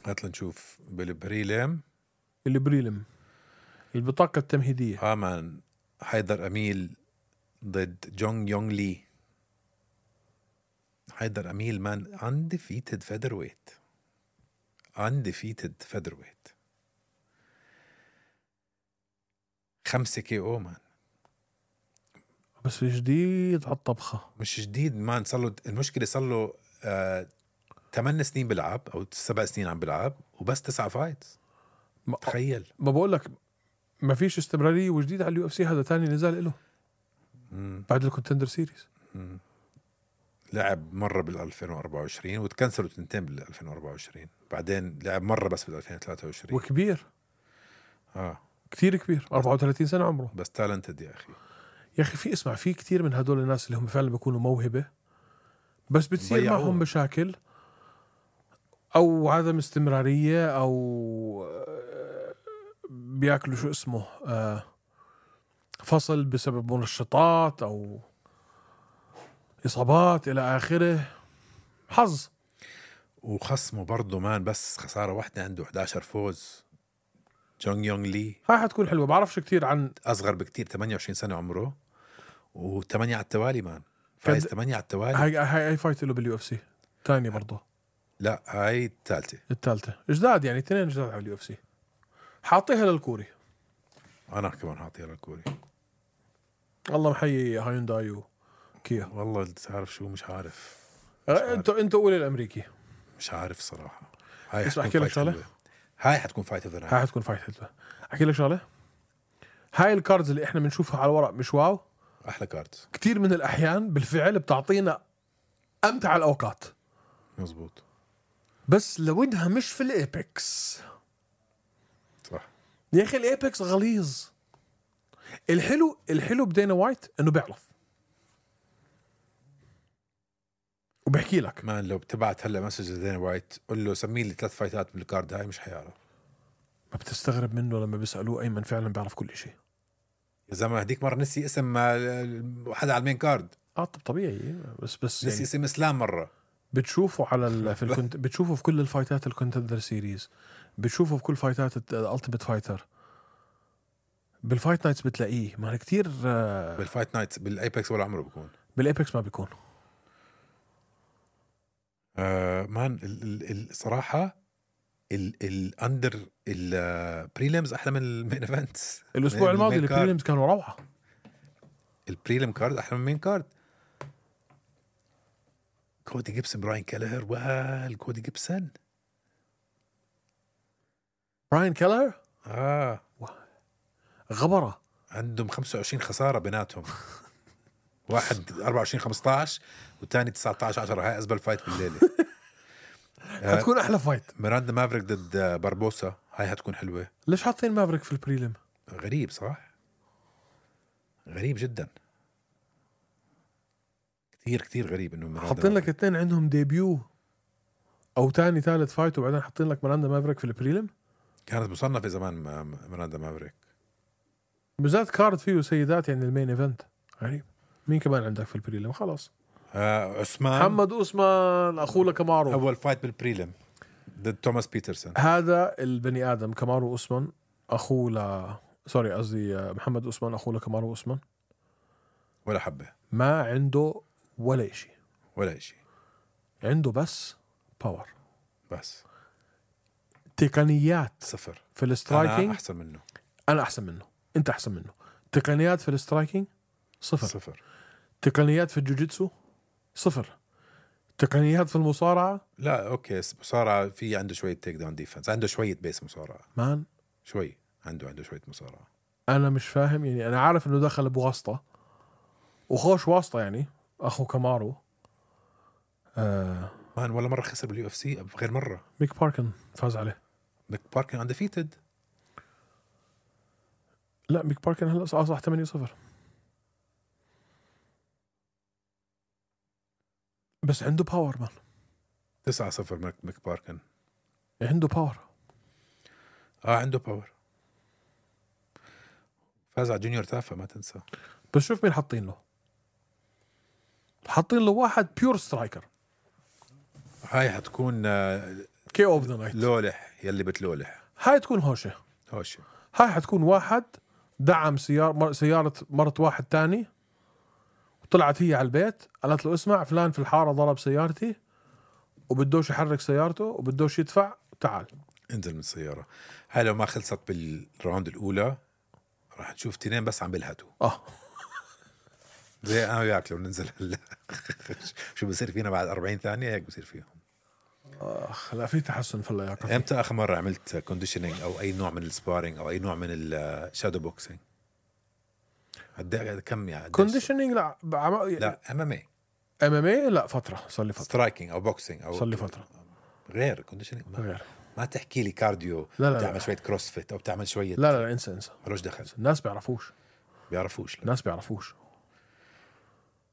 هات لنشوف بالبريلم. البطاقة التمهيدية. مان حيدر أميل ضد جونغ يونغ لي. حيدر أميل مان undefeated featherweight. 5 KO مان. بس جديد على الطبخة. مش جديد مان، صار له المشكلة صار له 8 سنين بلعب أو 7 سنين عم بلعب وبس 9 فايتس. تخيل. ما بقول لك ما فيش استمرارية وجديد على اليو اف سي. هذا تاني نزال له بعد الكونتندر سيريز. لعب مرة بال 2024 وتكنسلوا تنتين بال 2024. بعدين لعب مرة بس بال 2023. وكبير كتير كبير، 34 سنة عمره. بس تالنتد يا أخي. يا أخي في اسمع في كتير من هدول الناس اللي هم فعلا بيكونوا موهبة بس بتصير معهم مشاكل أو عدم استمرارية أو بياكلوا شو اسمه فصل بسبب منشطات أو إصابات إلى آخره. حظ. وخصمه برضه مان بس خسارة واحدة، عنده 11 فوز. جونغ يونغ لي هاي حتكون حلوة. بعرفش كتير عن أصغر بكتير، 28 سنة عمره و8 على التوالي مان. فايز 8 على التوالي. هاي فايت له باليو اف سي تاني برضه. لا هاي الثالثة جداد يعني 2 جداد على اليو اف سي. حاطيها للكوري. أنا كمان حاطيها للكوري. الله محيي هايونداي وكيا. والله تعرف شو مش عارف. انت قولي الامريكي. مش عارف صراحة. هاي احكي لك شغله. هاي حتكون فايت اوف هاي حتكون فايت حلوة. احكي لك شغله. هاي الكاردز اللي احنا بنشوفها على الورق مش واو. احلى كاردز. كتير من الاحيان بالفعل بتعطينا امتع الاوقات. مزبوط. بس لو انها مش في الايبكس. صح يا اخي الايبكس غليظ. الحلو بدينا وايت انه بيعرف وبحكي لك. مان لو بتبعت هلا مسج لدينا وايت قل له سمي لي 3 فايتات بالكارد هاي مش حيعرف. ما بتستغرب منه لما بيسألوه أيمن فعلا بيعرف كل شيء. يا زلمة هديك مرة نسي اسم حدا على المين كارد. طبيعي بس نسي يعني اسم اسلام مرة. بتشوفه على بتشوفه في كل الفايتات الكونتندر سيريز، بتشوفه في كل فايتات الالتيميت فايتر، بالفايت نايتس بتلاقيه. ما كتير بالفايت نايتس بالايبكس ولا عمره بيكون. بالايبكس ما بيكون. مان الصراحة الاندر البريليمز احلى من المين ايفنتس. الاسبوع الماضي البريليمز كانوا روعة. البريليم كارد احلى من المين كارد. كودي جيبسون براين كالهر كودي جيبسون براين كالهر غبرة. عندهم 25 خسارة بيناتهم. واحد 24-15 والثاني 19-10. هاي أزبل فايت بالليلة. هتكون أحلى فايت. ميراندا مافريك ضد باربوسا. هاي هتكون حلوة. ليش حاطين مافريك في البريليم؟ غريب صح؟ غريب جدا. كتير غريب إنه حاطين لك 2 عندهم ديبيو أو تاني ثالث فايت وبعدين حاطين لك ميراندا مافريك في البريليم. كانت مصنفة زمان ميراندا مافريك. بالذات كارد فيه سيدات يعني المين ايفنت. غريب. مين كمان عندك في البريلم؟ خلاص عثمان محمد عثمان أخوه كامارو. أول فايت بالبريلم ضد توماس بيترسون. هذا البني آدم كامارو عثمان أخوه سوري قصدي محمد عثمان أخوه كامارو عثمان. ولا حبة. ما عنده ولا إشي. عنده بس باور. بس تقنيات صفر في السترايكينج. أنا أحسن منه. أنت أحسن منه. تقنيات في السترايكينج صفر. تقنيات في الجوجيتسو صفر. تقنيات في المصارعة لا أوكي مصارعة في عنده شوية تيك داون ديفنس. عنده شوية بيس مصارعة مان شوي. عنده شوية مصارعة. أنا مش فاهم يعني. أنا عارف إنه دخل بواسطة وخوش واسطة يعني أخو كامارو. مان ولا مرة خسر باليو اف سي غير مرة. ميك باركن فاز عليه. ميك باركن انديفيتد. لا ميك باركن هلا صح 8-0 بس عنده باور مان. 9-0 ميك باركن. عنده باور. عنده باور. فاز على جونيور تافا ما تنسى. بس شوف مين حاطين له واحد بيور سترايكر. هاي حتكون كي اوف ذا نايت. لولح يلي بتلولح. هاي تكون هوشة. هاي حتكون واحد دعم سيارة مرت واحد تاني وطلعت هي على البيت قالت له اسمع فلان في الحارة ضرب سيارتي وبدوش يحرك سيارته وبدوش يدفع. تعال انزل من السيارة. هاي لو ما خلصت بالراوند الأولى راح تشوف 2 بس عم بيلهتوا. زي انا وياك لو ننزل هلا شو بصير فينا بعد 40 ثانيه هيك بصير فيهم. لا في تحسن في اللياقه. امتى اخر مره عملت كونديشنينج او اي نوع من السبارينج او اي نوع من الشادو بوكسينج؟ كم يعني كونديشنينج لا لا MMA لا فتره صار لي فتره. سترايكينج او بوكسينج او صار لي فتره غير كونديشنينج. غير. ما تحكي لي كارديو لا بتعمل شويه كروسفيت او بتعمل شويه لا انسى ملوش دخل. الناس بيعرفوش لا. الناس بيعرفوش.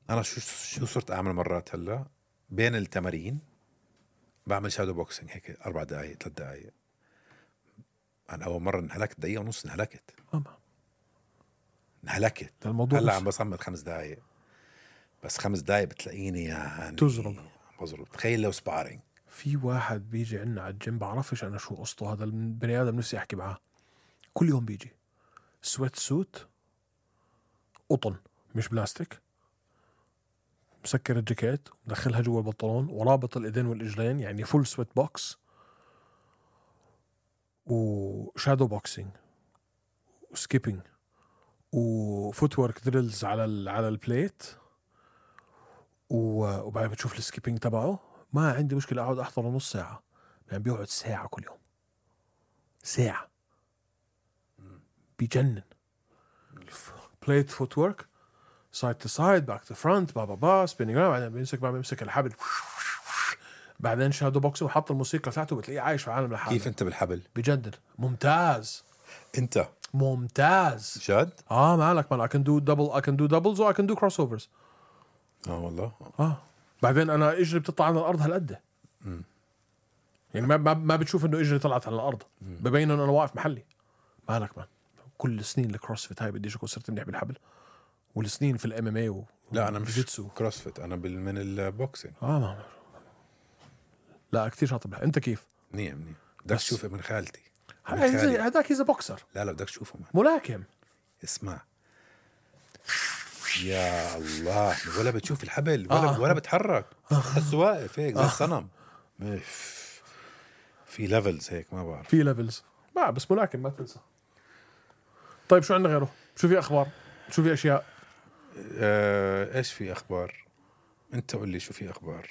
انا شو صرت اعمل مرات هلا بين التمارين بعمل شادو بوكسينج هيك 4 دقائق 3 دقائق. انا اول مره انهلكت دقيقه ونص انهلكت الموضوع هلا عم بصمد 5 دقائق بس 5 دقائق بتلاقيني يعني بضرب. تخيل لو سبارينج. في واحد بيجي عنا على الجيم بعرفش انا شو قصته هذا البني ادم نفسي احكي معاه كل يوم بيجي سويت سوت قطن مش بلاستيك مسكر الجاكيت مدخلها جوا البنطلون ورابط الايدين والاجرين يعني فول سويت بوكس وشادو بوكسينج وسكيبينج وفوت ورك دريلز على البليت وبعدين بتشوف السكيبينج تبعه. ما عندي مشكلة أقعد أحضر نص ساعة يعني بيقعد ساعة كل يوم ساعة بيجنن. بليت فوت ورك سايد تو سايد باك تو فرونت بابا سبينينج بعدين بيمسك الحبل بعدين شادو بوكس وحط الموسيقى تاعته بتلاقيه عايش في عالم لحاله. كيف انت بالحبل؟ بجنن ممتاز. انت ممتاز جد؟ مالك I can do doubles or I can do crossovers. والله بعدين انا اجري بتطلع على الارض هالقد يعني ما بتشوف انه اجري طلعت على الارض ببين انه انا واقف محلي. مالك كل سنين الكروسفيت هاي بديش اكون صرت منيح بالحبل والسنين في الام ام اي لا انا مش كروسفيت انا من البوكسينج. لا كتير شاطر. انت كيف؟ منيح بدك تشوف ابن خالتي هذاك إذا بوكسر. لا بدك تشوفه ملاكم. اسمع يا الله ولا بتشوف الحبل ولا بتحرك بس واقف هيك زي الصنم. في ليفلز هيك ما بعرف في ليفلز بس ملاكم ما تنسى. طيب شو عندنا غيره؟ شو في أخبار؟ شو في أشياء؟ إيش في أخبار؟ أنت قل لي شو في أخبار.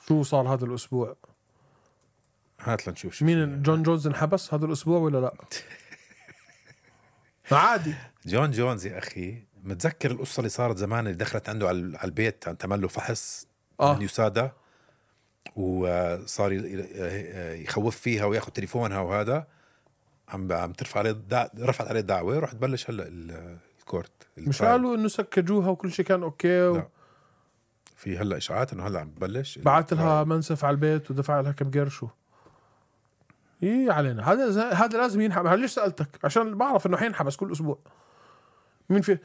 شو صار هذا الأسبوع؟ هات لنشوف شو مين جون جونز انحبس هذا الأسبوع ولا لا؟ عادي. جون جونز يا أخي متذكر القصة اللي صارت زمان اللي دخلت عنده على البيت عم تعمل له فحص من يسادا وصار يخوف فيها وياخذ تليفونها وهذا عم ترفع عليه رفعت عليه دعوة ورح تبلش هلا الكورت. مش قالوا انه سكجوها وكل شيء كان اوكي لا. في هلا اشاعات انه هلا عم تبلش بعت لها منسف على البيت ودفع لها كم قرش علينا. هذا لازم ينحب. ليش سألتك؟ عشان بعرف انه حينحبس كل اسبوع. مين في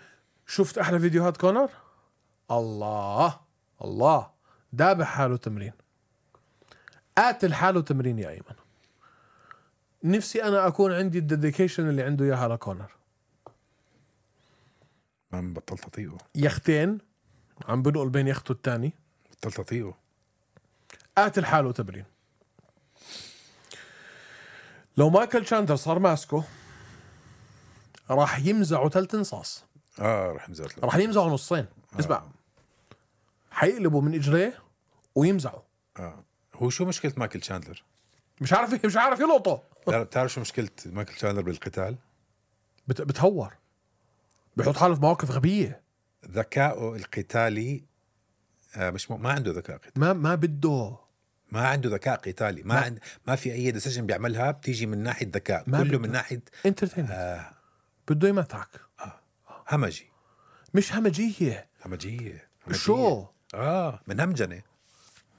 شفت احلى فيديوهات كونر؟ الله دابح حاله تمرين قاتل حاله تمرين يا ايمن. نفسي انا اكون عندي الديديكيشن اللي عنده اياها لكونر. ما بطلت اطيقه. يختين عم بنقل بين يخته الثاني بطلت اطيقه. قاتل حاله تمرين. لو مايكل تشاندلر صار ماسكه راح يمزعوا 3 انصاص. راح يمزعوا نصين. اسمع حيقلبوا من اجريه ويمزعوا. هو شو مشكلة مايكل تشاندلر؟ مش عارف يلقطه. بتعرف شو مشكلة مايكل تشاندلر بالقتال؟ بتهور بيحط حاله في مواقف غبية. ذكائه القتالي مش ما عنده ذكاء قتالي. ما بده. ما عنده ذكاء قتالي. ما في أي ديسيجن بيعملها بتيجي من ناحية ذكاء كله من ناحية انترتينمنت. بده يمتعك. همجي. مش همجية. شو من همجنة.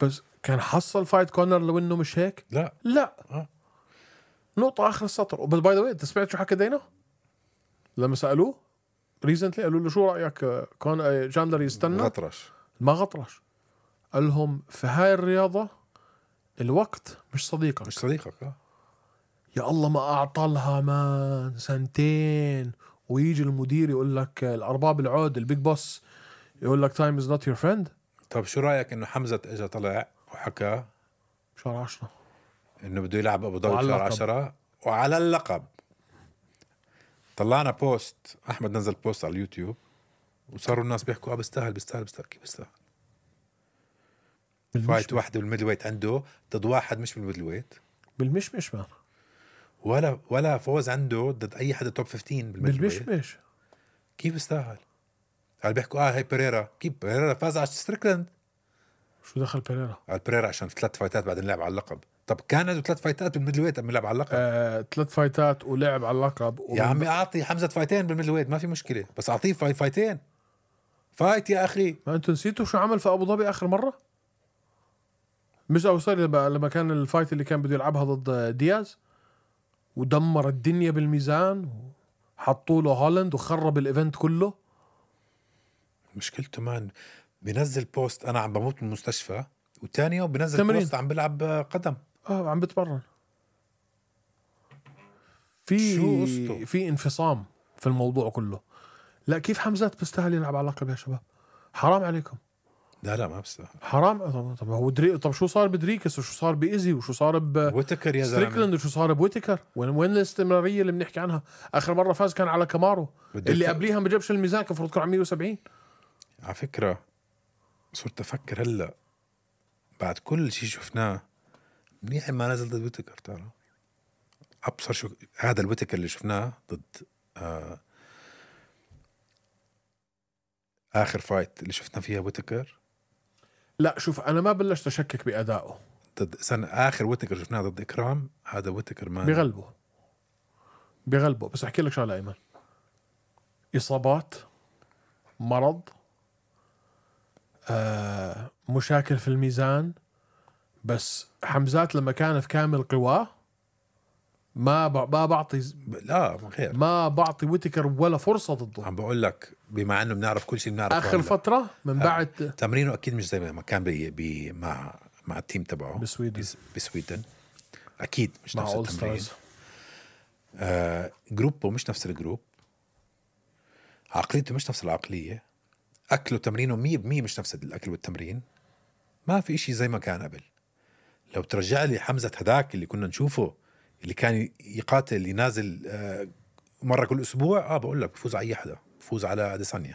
بس كان حصل فايت كونر لو انه مش هيك. لا نقطة آخر السطر. بس باي ذا واي انت سمعت شو حكى دينا لما سألوه ريزنتلي؟ قالوا له شو رأيك كون جاندلر يستنى؟ ما غطرش. قال لهم في هاي الرياضة الوقت مش صديقك. يا الله ما أعطالها 2 سنين ويجي المدير يقول لك الأرباب العود البيج بوس يقول لك time is not your friend. طب شو رأيك إنه حمزة إجا طلع وحكى شهر 10 إنه بده يلعب أبو ظبي شهر 10 وعلى اللقب. طلعنا بوست أحمد نزل بوست على اليوتيوب وصاروا الناس بيحكوا بيستاهل كيف بيستاهل. فايت واحدة بالميدل ويت عنده ضد واحد مش بالميدل ويت بالمشمش ما ولا فوز عنده ضد اي حدا توب 15 بالميدل ويت. بالمشمش كيف بيستاهل؟ قال بيحكوا هاي بيريرا. كيف بيريرا فاز على ستريكلاند؟ شو دخل بيريرا؟ على بيريرا عشان 3 فايتات بعدين لعب على اللقب. طب كان عنده 3 فايتات بالميدل ويت قبل لعب على اللقب. 3 فايتات ولعب على اللقب يا عمي اعطي حمزة فايتين بالميدل ويت ما في مشكلة، بس اعطيه فايتين فايت يا اخي. ما انتوا نسيتوا شو عمل في ابو ظبي اخر مرة؟ مش او صار لما كان الفايت اللي كان بده يلعبها ضد دياز ودمر الدنيا بالميزان وحطوا له هولند وخرب الايفنت كله. مشكلته مان بينزل بوست انا عم بموت من المستشفى وتاني يوم بينزل تمرين. بوست عم بلعب قدم. عم بتمرن. في انفصام في الموضوع كله. لا كيف حمزات بيستاهل يلعب على اللقب يا شباب؟ حرام عليكم. لا ما بستاهل. حرام. طب هو طب شو صار بدريكس وشو صار بإيزي وشو صار ويتكر يا ستريكلاند وشو صار بويتكر؟ وين الاستمرارية اللي بنحكي عنها؟ آخر مرة فاز كان على كامارو اللي قبليها ما جابش الميزان، كان المفروض يكون على 170. على فكرة صرت أفكر هلا بعد كل شيء شفناه منيح ما نزل ضد ويتكر. ترى أبصر شو هذا الويتكر اللي شفناه ضد آخر فايت اللي شفنا فيها ويتكر. لا شوف أنا ما بلشت أشكك بأدائه ضد سنة آخر ويتكر شفناه ضد إكرام. هذا ويتكر ما بيغلبه. بس أحكي لك شغلة أيمن، إصابات، مرض، مشاكل في الميزان. بس حمزات لما كان في كامل قواه ما بعطي لا غير ما بعطي ويتكر ولا فرصة ضده. عم بقول لك بما انه بنعرف كل شيء بنعرف اخر فترة من بعد تمرينه اكيد مش زي ما كان مع التيم تبعه بسويدن اكيد مش نفس التمرين. جروبه مش نفس الجروب، عقليته مش نفس العقلية، اكله تمرينه 100% مش نفس الاكل والتمرين. ما في اشي زي ما كان قبل. لو ترجع لي حمزة هداك اللي كنا نشوفه اللي كان يقاتل ينازل مرة كل أسبوع بقول لك بفوز على أي حدا، بفوز على أديسانيا،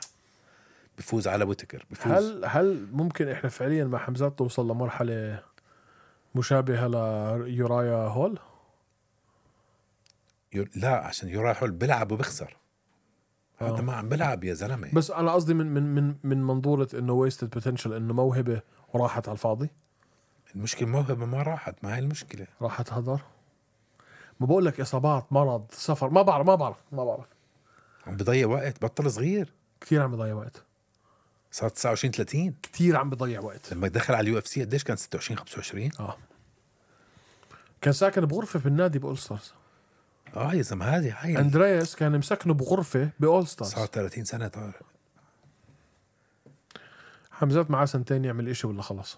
بفوز على ويتكر، بفوز. هل ممكن إحنا فعليا مع حمزات توصل لمرحلة مشابهة ليورايا هول؟ لا عشان يورايا هول بلعب وبخسر. هذا ما عم بلعب يا زلمة. بس أنا قصدي من منظورة إنه wasted potential، إنه موهبة وراحت على الفاضي. المشكلة موهبة ما راحت، ما هي المشكلة راحت هدر. ما بقول لك إصابات، مرض، سفر، ما بعرف عم بضيع وقت. بطل صغير كتير، عم بضيع وقت. صار 29-30 كتير عم بضيع وقت. لما دخل على UFC قديش كان 26-25 كان ساكن بغرفة بالنادي بأول ستارز. يا زلمة هاي أندرياس كان مسكنه بغرفة بأول ستارز. صار 30 سنة طارق. حمزات معاه 2 يعمل إشي ولا خلص.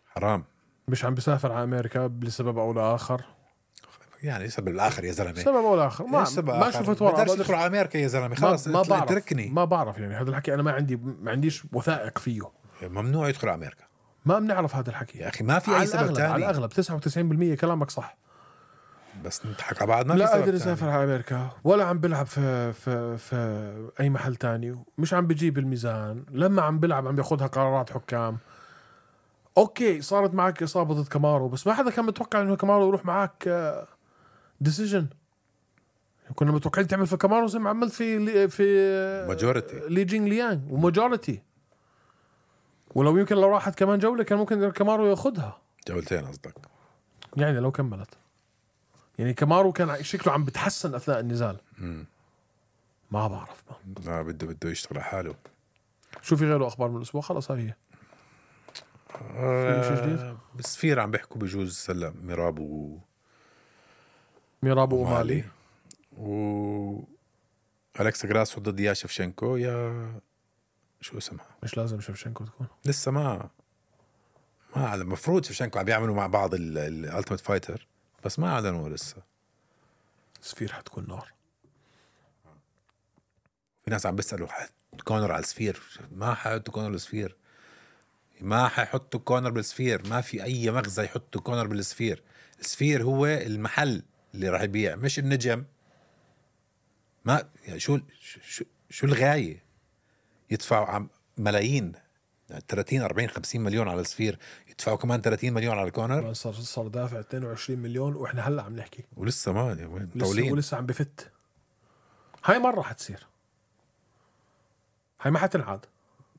حرام. مش عم بيسافر على أمريكا لسبب أو لآخر. يعني سبب الآخر يا زلمة. سبب أو لآخر ما شفت ورقة. بدرش يدخل على أمريكا يا زلمة خلاص. ما بعرف يعني هذا الحكي أنا ما عنديش وثائق فيه. ممنوع يدخل على أمريكا. ما بنعرف هذا الحكي يا أخي. ما في أي سبب تاني. على الأغلب 99% كلامك صح. بس نضحك على بعض. ما لا في سبب قادر يسافر على أمريكا ولا عم بلعب في أي محل تاني، مش عم بجيب الميزان. لما عم بلعب عم بياخدها قرارات حكام. اوكي صارت معك اصابه ضد كامارو، بس ما حدا كان متوقع انه كامارو يروح معك ديسيجن. كنا متوقعين تعمل في كامارو زي ما عملت في ماجوريتي لي جينغ ليانغ وماجوريتي. ولو يمكن لو راحت كمان جوله كان ممكن كامارو ياخدها. جولتين قصدك يعني لو كملت. يعني كامارو كان شكله عم بتحسن اثناء النزال. ما بعرف لا بده يشتغل على حاله. شو في غيره اخبار من الاسبوع؟ خلص هاي هي. في شيء جديد؟ بسفير عم بيحكوا بجوز هلا ميراب ومالي أليكسا جراسو ضد يا شفشنكو. يا شو اسمها؟ مش لازم شفشنكو تكون لسه ما على المفروض شفشنكو عم بيعملوا مع بعض الالتيميت فايتر، بس ما اعلنوا لسه. سفير حتكون نار. في ناس عم بيسألوا كونر على السفير. ما حيحطوا كونر بالسفير. ما حيحطوا كونر بالسفير. ما في اي مغزى يحطوا كونر بالسفير. السفير هو المحل اللي راح يبيع مش النجم. ما يعني شو شو الغاية؟ يدفعوا ملايين، يعني 30 40 50 مليون على السفير، يدفعوا كمان 30 مليون على الكونر. صار دافع 22 مليون واحنا هلا عم نحكي ولسه ما طولين، ولسه عم بفت. هاي مرة حتصير، هاي ما حتنعاد.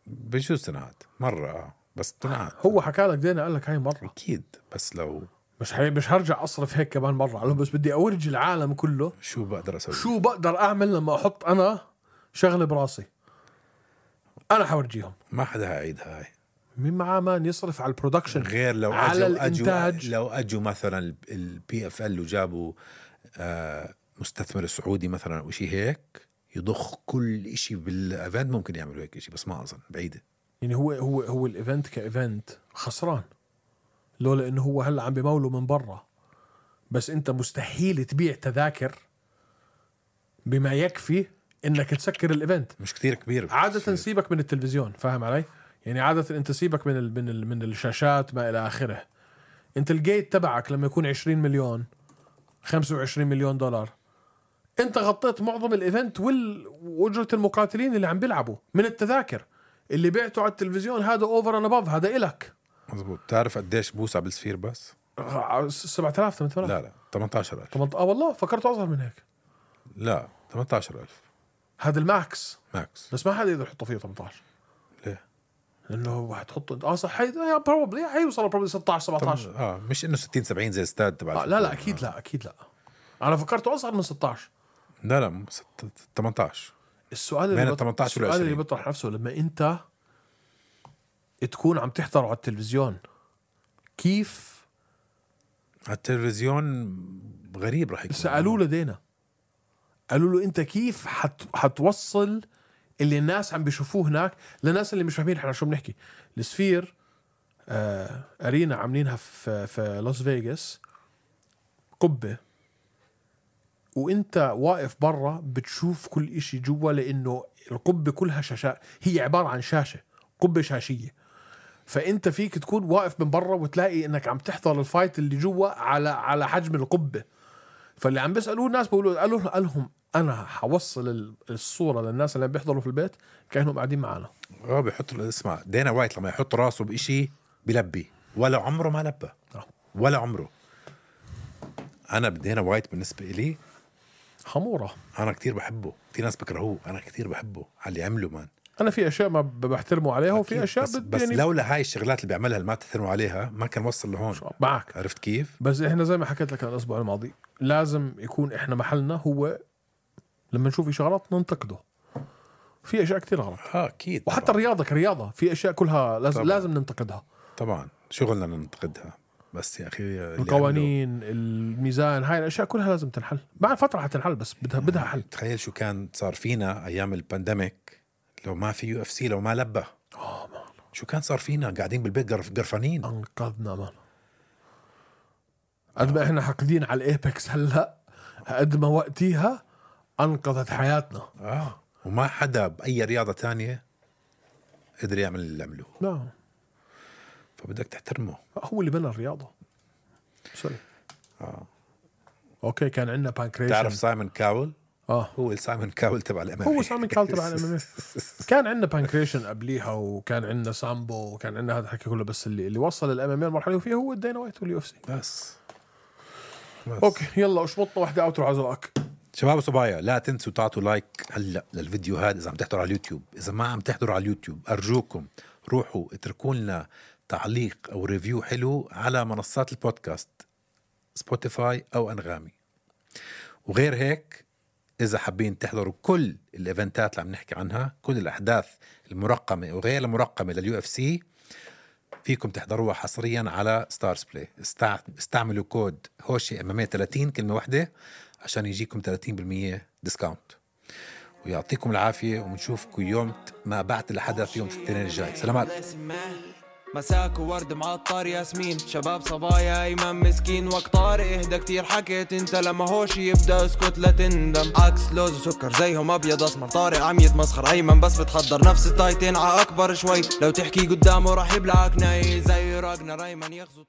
بجوز تنعاد مرة بس تنعاد. هو حكى لك دينا، قال لك هاي مرة أكيد، بس لو مش هرجع أصرف هيك كمان مرة. قال له بس بدي أورجي العالم كله شو بقدر أسوي، شو بقدر أعمل لما أحط أنا شغلة براسي. أنا حورجيهم. ما حدا هيعيد هاي. مين معاه مان يصرف على البرودكشن غير لو على الإنتاج. لو أجوا مثلا PFL وجابوا مستثمر سعودي مثلا أو شيء هيك يضخ كل إشي بالإيفنت، ممكن يعملوا هيك إشي، بس ما أظن، بعيدة. يعني هو الإيفنت كإيفنت خسران لولا إنه هو هلا عم بموله من برا. بس أنت مستحيل تبيع تذاكر بما يكفي إنك تسكر الإيفنت. مش كتير كبير عادة سيبك من التلفزيون، فاهم علي؟ يعني عادة أنت سيبك من الشاشات ما إلى آخره. أنت الجيت تبعك لما يكون 20 مليون 25 مليون دولار، أنت غطيت معظم الإيفنت وأجرة المقاتلين اللي عم بيلعبوا من التذاكر. اللي بعته على التلفزيون هذا أوفر أند أباف، هذا إلك. مزبوط. تعرف قديش بوسع بالسفير بس؟ 7000 8000. لا 18,000. والله فكرته أصغر من هيك. لا 18,000 هذا الماكس ماكس. بس ما حدا يقدر يحطه فيه 18. ليه؟ لأنه هتحطه صح بروبلي حيوصل بروبلي 16 17. مش إنه 60 70 زي استاد تبع لا أكيد لا أكيد لا. أنا فكرته أصغر من 16. لا 18. السؤال اللي بيطرح نفسه لما أنت تكون عم تحضر على التلفزيون، كيف على التلفزيون غريب رح يكون. سألوا له دينا، قالوا له أنت كيف حتوصل اللي الناس عم بيشوفوه هناك للناس اللي مش فاهمين احنا شو بنحكي. السفير أرينا عاملينها في لاس فيغاس، قبة، وانت واقف برا بتشوف كل اشي جوا، لانه القبة كلها شاشات، هي عبارة عن شاشة، قبة شاشية. فانت فيك تكون واقف من برا وتلاقي انك عم تحضر الفايت اللي جوا على حجم القبة. فاللي عم بيسألوه الناس قال لهم انا حوصل الصورة للناس اللي بيحضروا في البيت كأنهم قاعدين معنا. بيحطوا، اسمع دينا وايت لما يحط راسه بإشي بلبي، ولا عمره ما لبى ولا عمره. انا دينا وايت بالنسبة إلي حمورة. انا كتير بحبه، في ناس بكرهوه، انا كتير بحبه على اللي عمله مان. انا في اشياء ما بحترمه عليها وفي اشياء بس يعني لولا هاي الشغلات اللي بيعملها اللي ما بتحترموا عليها ما كان وصل لهون. معك، عرفت كيف؟ بس احنا زي ما حكيت لك الاسبوع الماضي لازم يكون احنا محلنا هو لما نشوف شغلات ننتقده. في اشياء كتير غلط اكيد، وحتى طبعاً. الرياضه كرياضه في اشياء كلها لازم ننتقدها طبعا، شغلنا ننتقدها، بس يا اخي القوانين الميزان هاي الاشياء كلها لازم تنحل. بعد فتره حتنحل بس بدها حل. تخيل شو كان صار فينا ايام البانديميك لو ما في UFC، لو ما لبى شو كان صار فينا، قاعدين بالبيت قرفانين. انقذنا مان. قد ما احنا حاقدين على الايبكس هلا، قد ما وقتيها انقذت حياتنا. وما حدا باي رياضه تانية قدر يعمل اللي عملوه. لا، فبدك تحترمه، هو اللي بنى الرياضه. سوري. اوكي، كان عندنا بانكريشن. تعرف سايمون كاول؟ هو سايمون كاول تبع الام هو سايمون كاول تبع الام كان عندنا بانكريشن قبليها، وكان عندنا سامبو، وكان عندنا هذا الحكي كله. بس اللي وصل الام ام المرحله فيها هو دينا وايت واليو اف سي بس. اوكي، يلا اشبطنا واحده اوترو عزلك. شباب وصبايا، لا تنسوا تعطوا لايك هلا للفيديو هذا اذا عم تحضروا على اليوتيوب. اذا ما عم تحضروا على اليوتيوب ارجوكم روحوا اتركوا لنا تعليق او ريفيو حلو على منصات البودكاست سبوتيفاي او انغامي. وغير هيك اذا حابين تحضروا كل الايفنتات اللي عم نحكي عنها، كل الاحداث المرقمه وغير المرقمه لليو اف سي، فيكم تحضروها حصريا على ستارز بلاي. استعملوا كود هوشي MMA 30 كلمه واحده عشان يجيكم 30% ديسكاونت. ويعطيكم العافيه، وبنشوفكم يوم ما بعد الحدث يوم الاثنين الجاي. سلامات. مساك وورد معطر ياسمين، شباب صبايا ايمن مسكين وقت طارق اهدى كتير حكيت انت لما هوشي يبدا اسكت لا تندم. عكس لوز وسكر زيهم ابيض اسمر، طارق عم يتمسخر ايمن بس بتحضر نفس التايتين ع اكبر شوي، لو تحكي قدامه راح يبلعك ناي زي راجنر ايمن يغزو.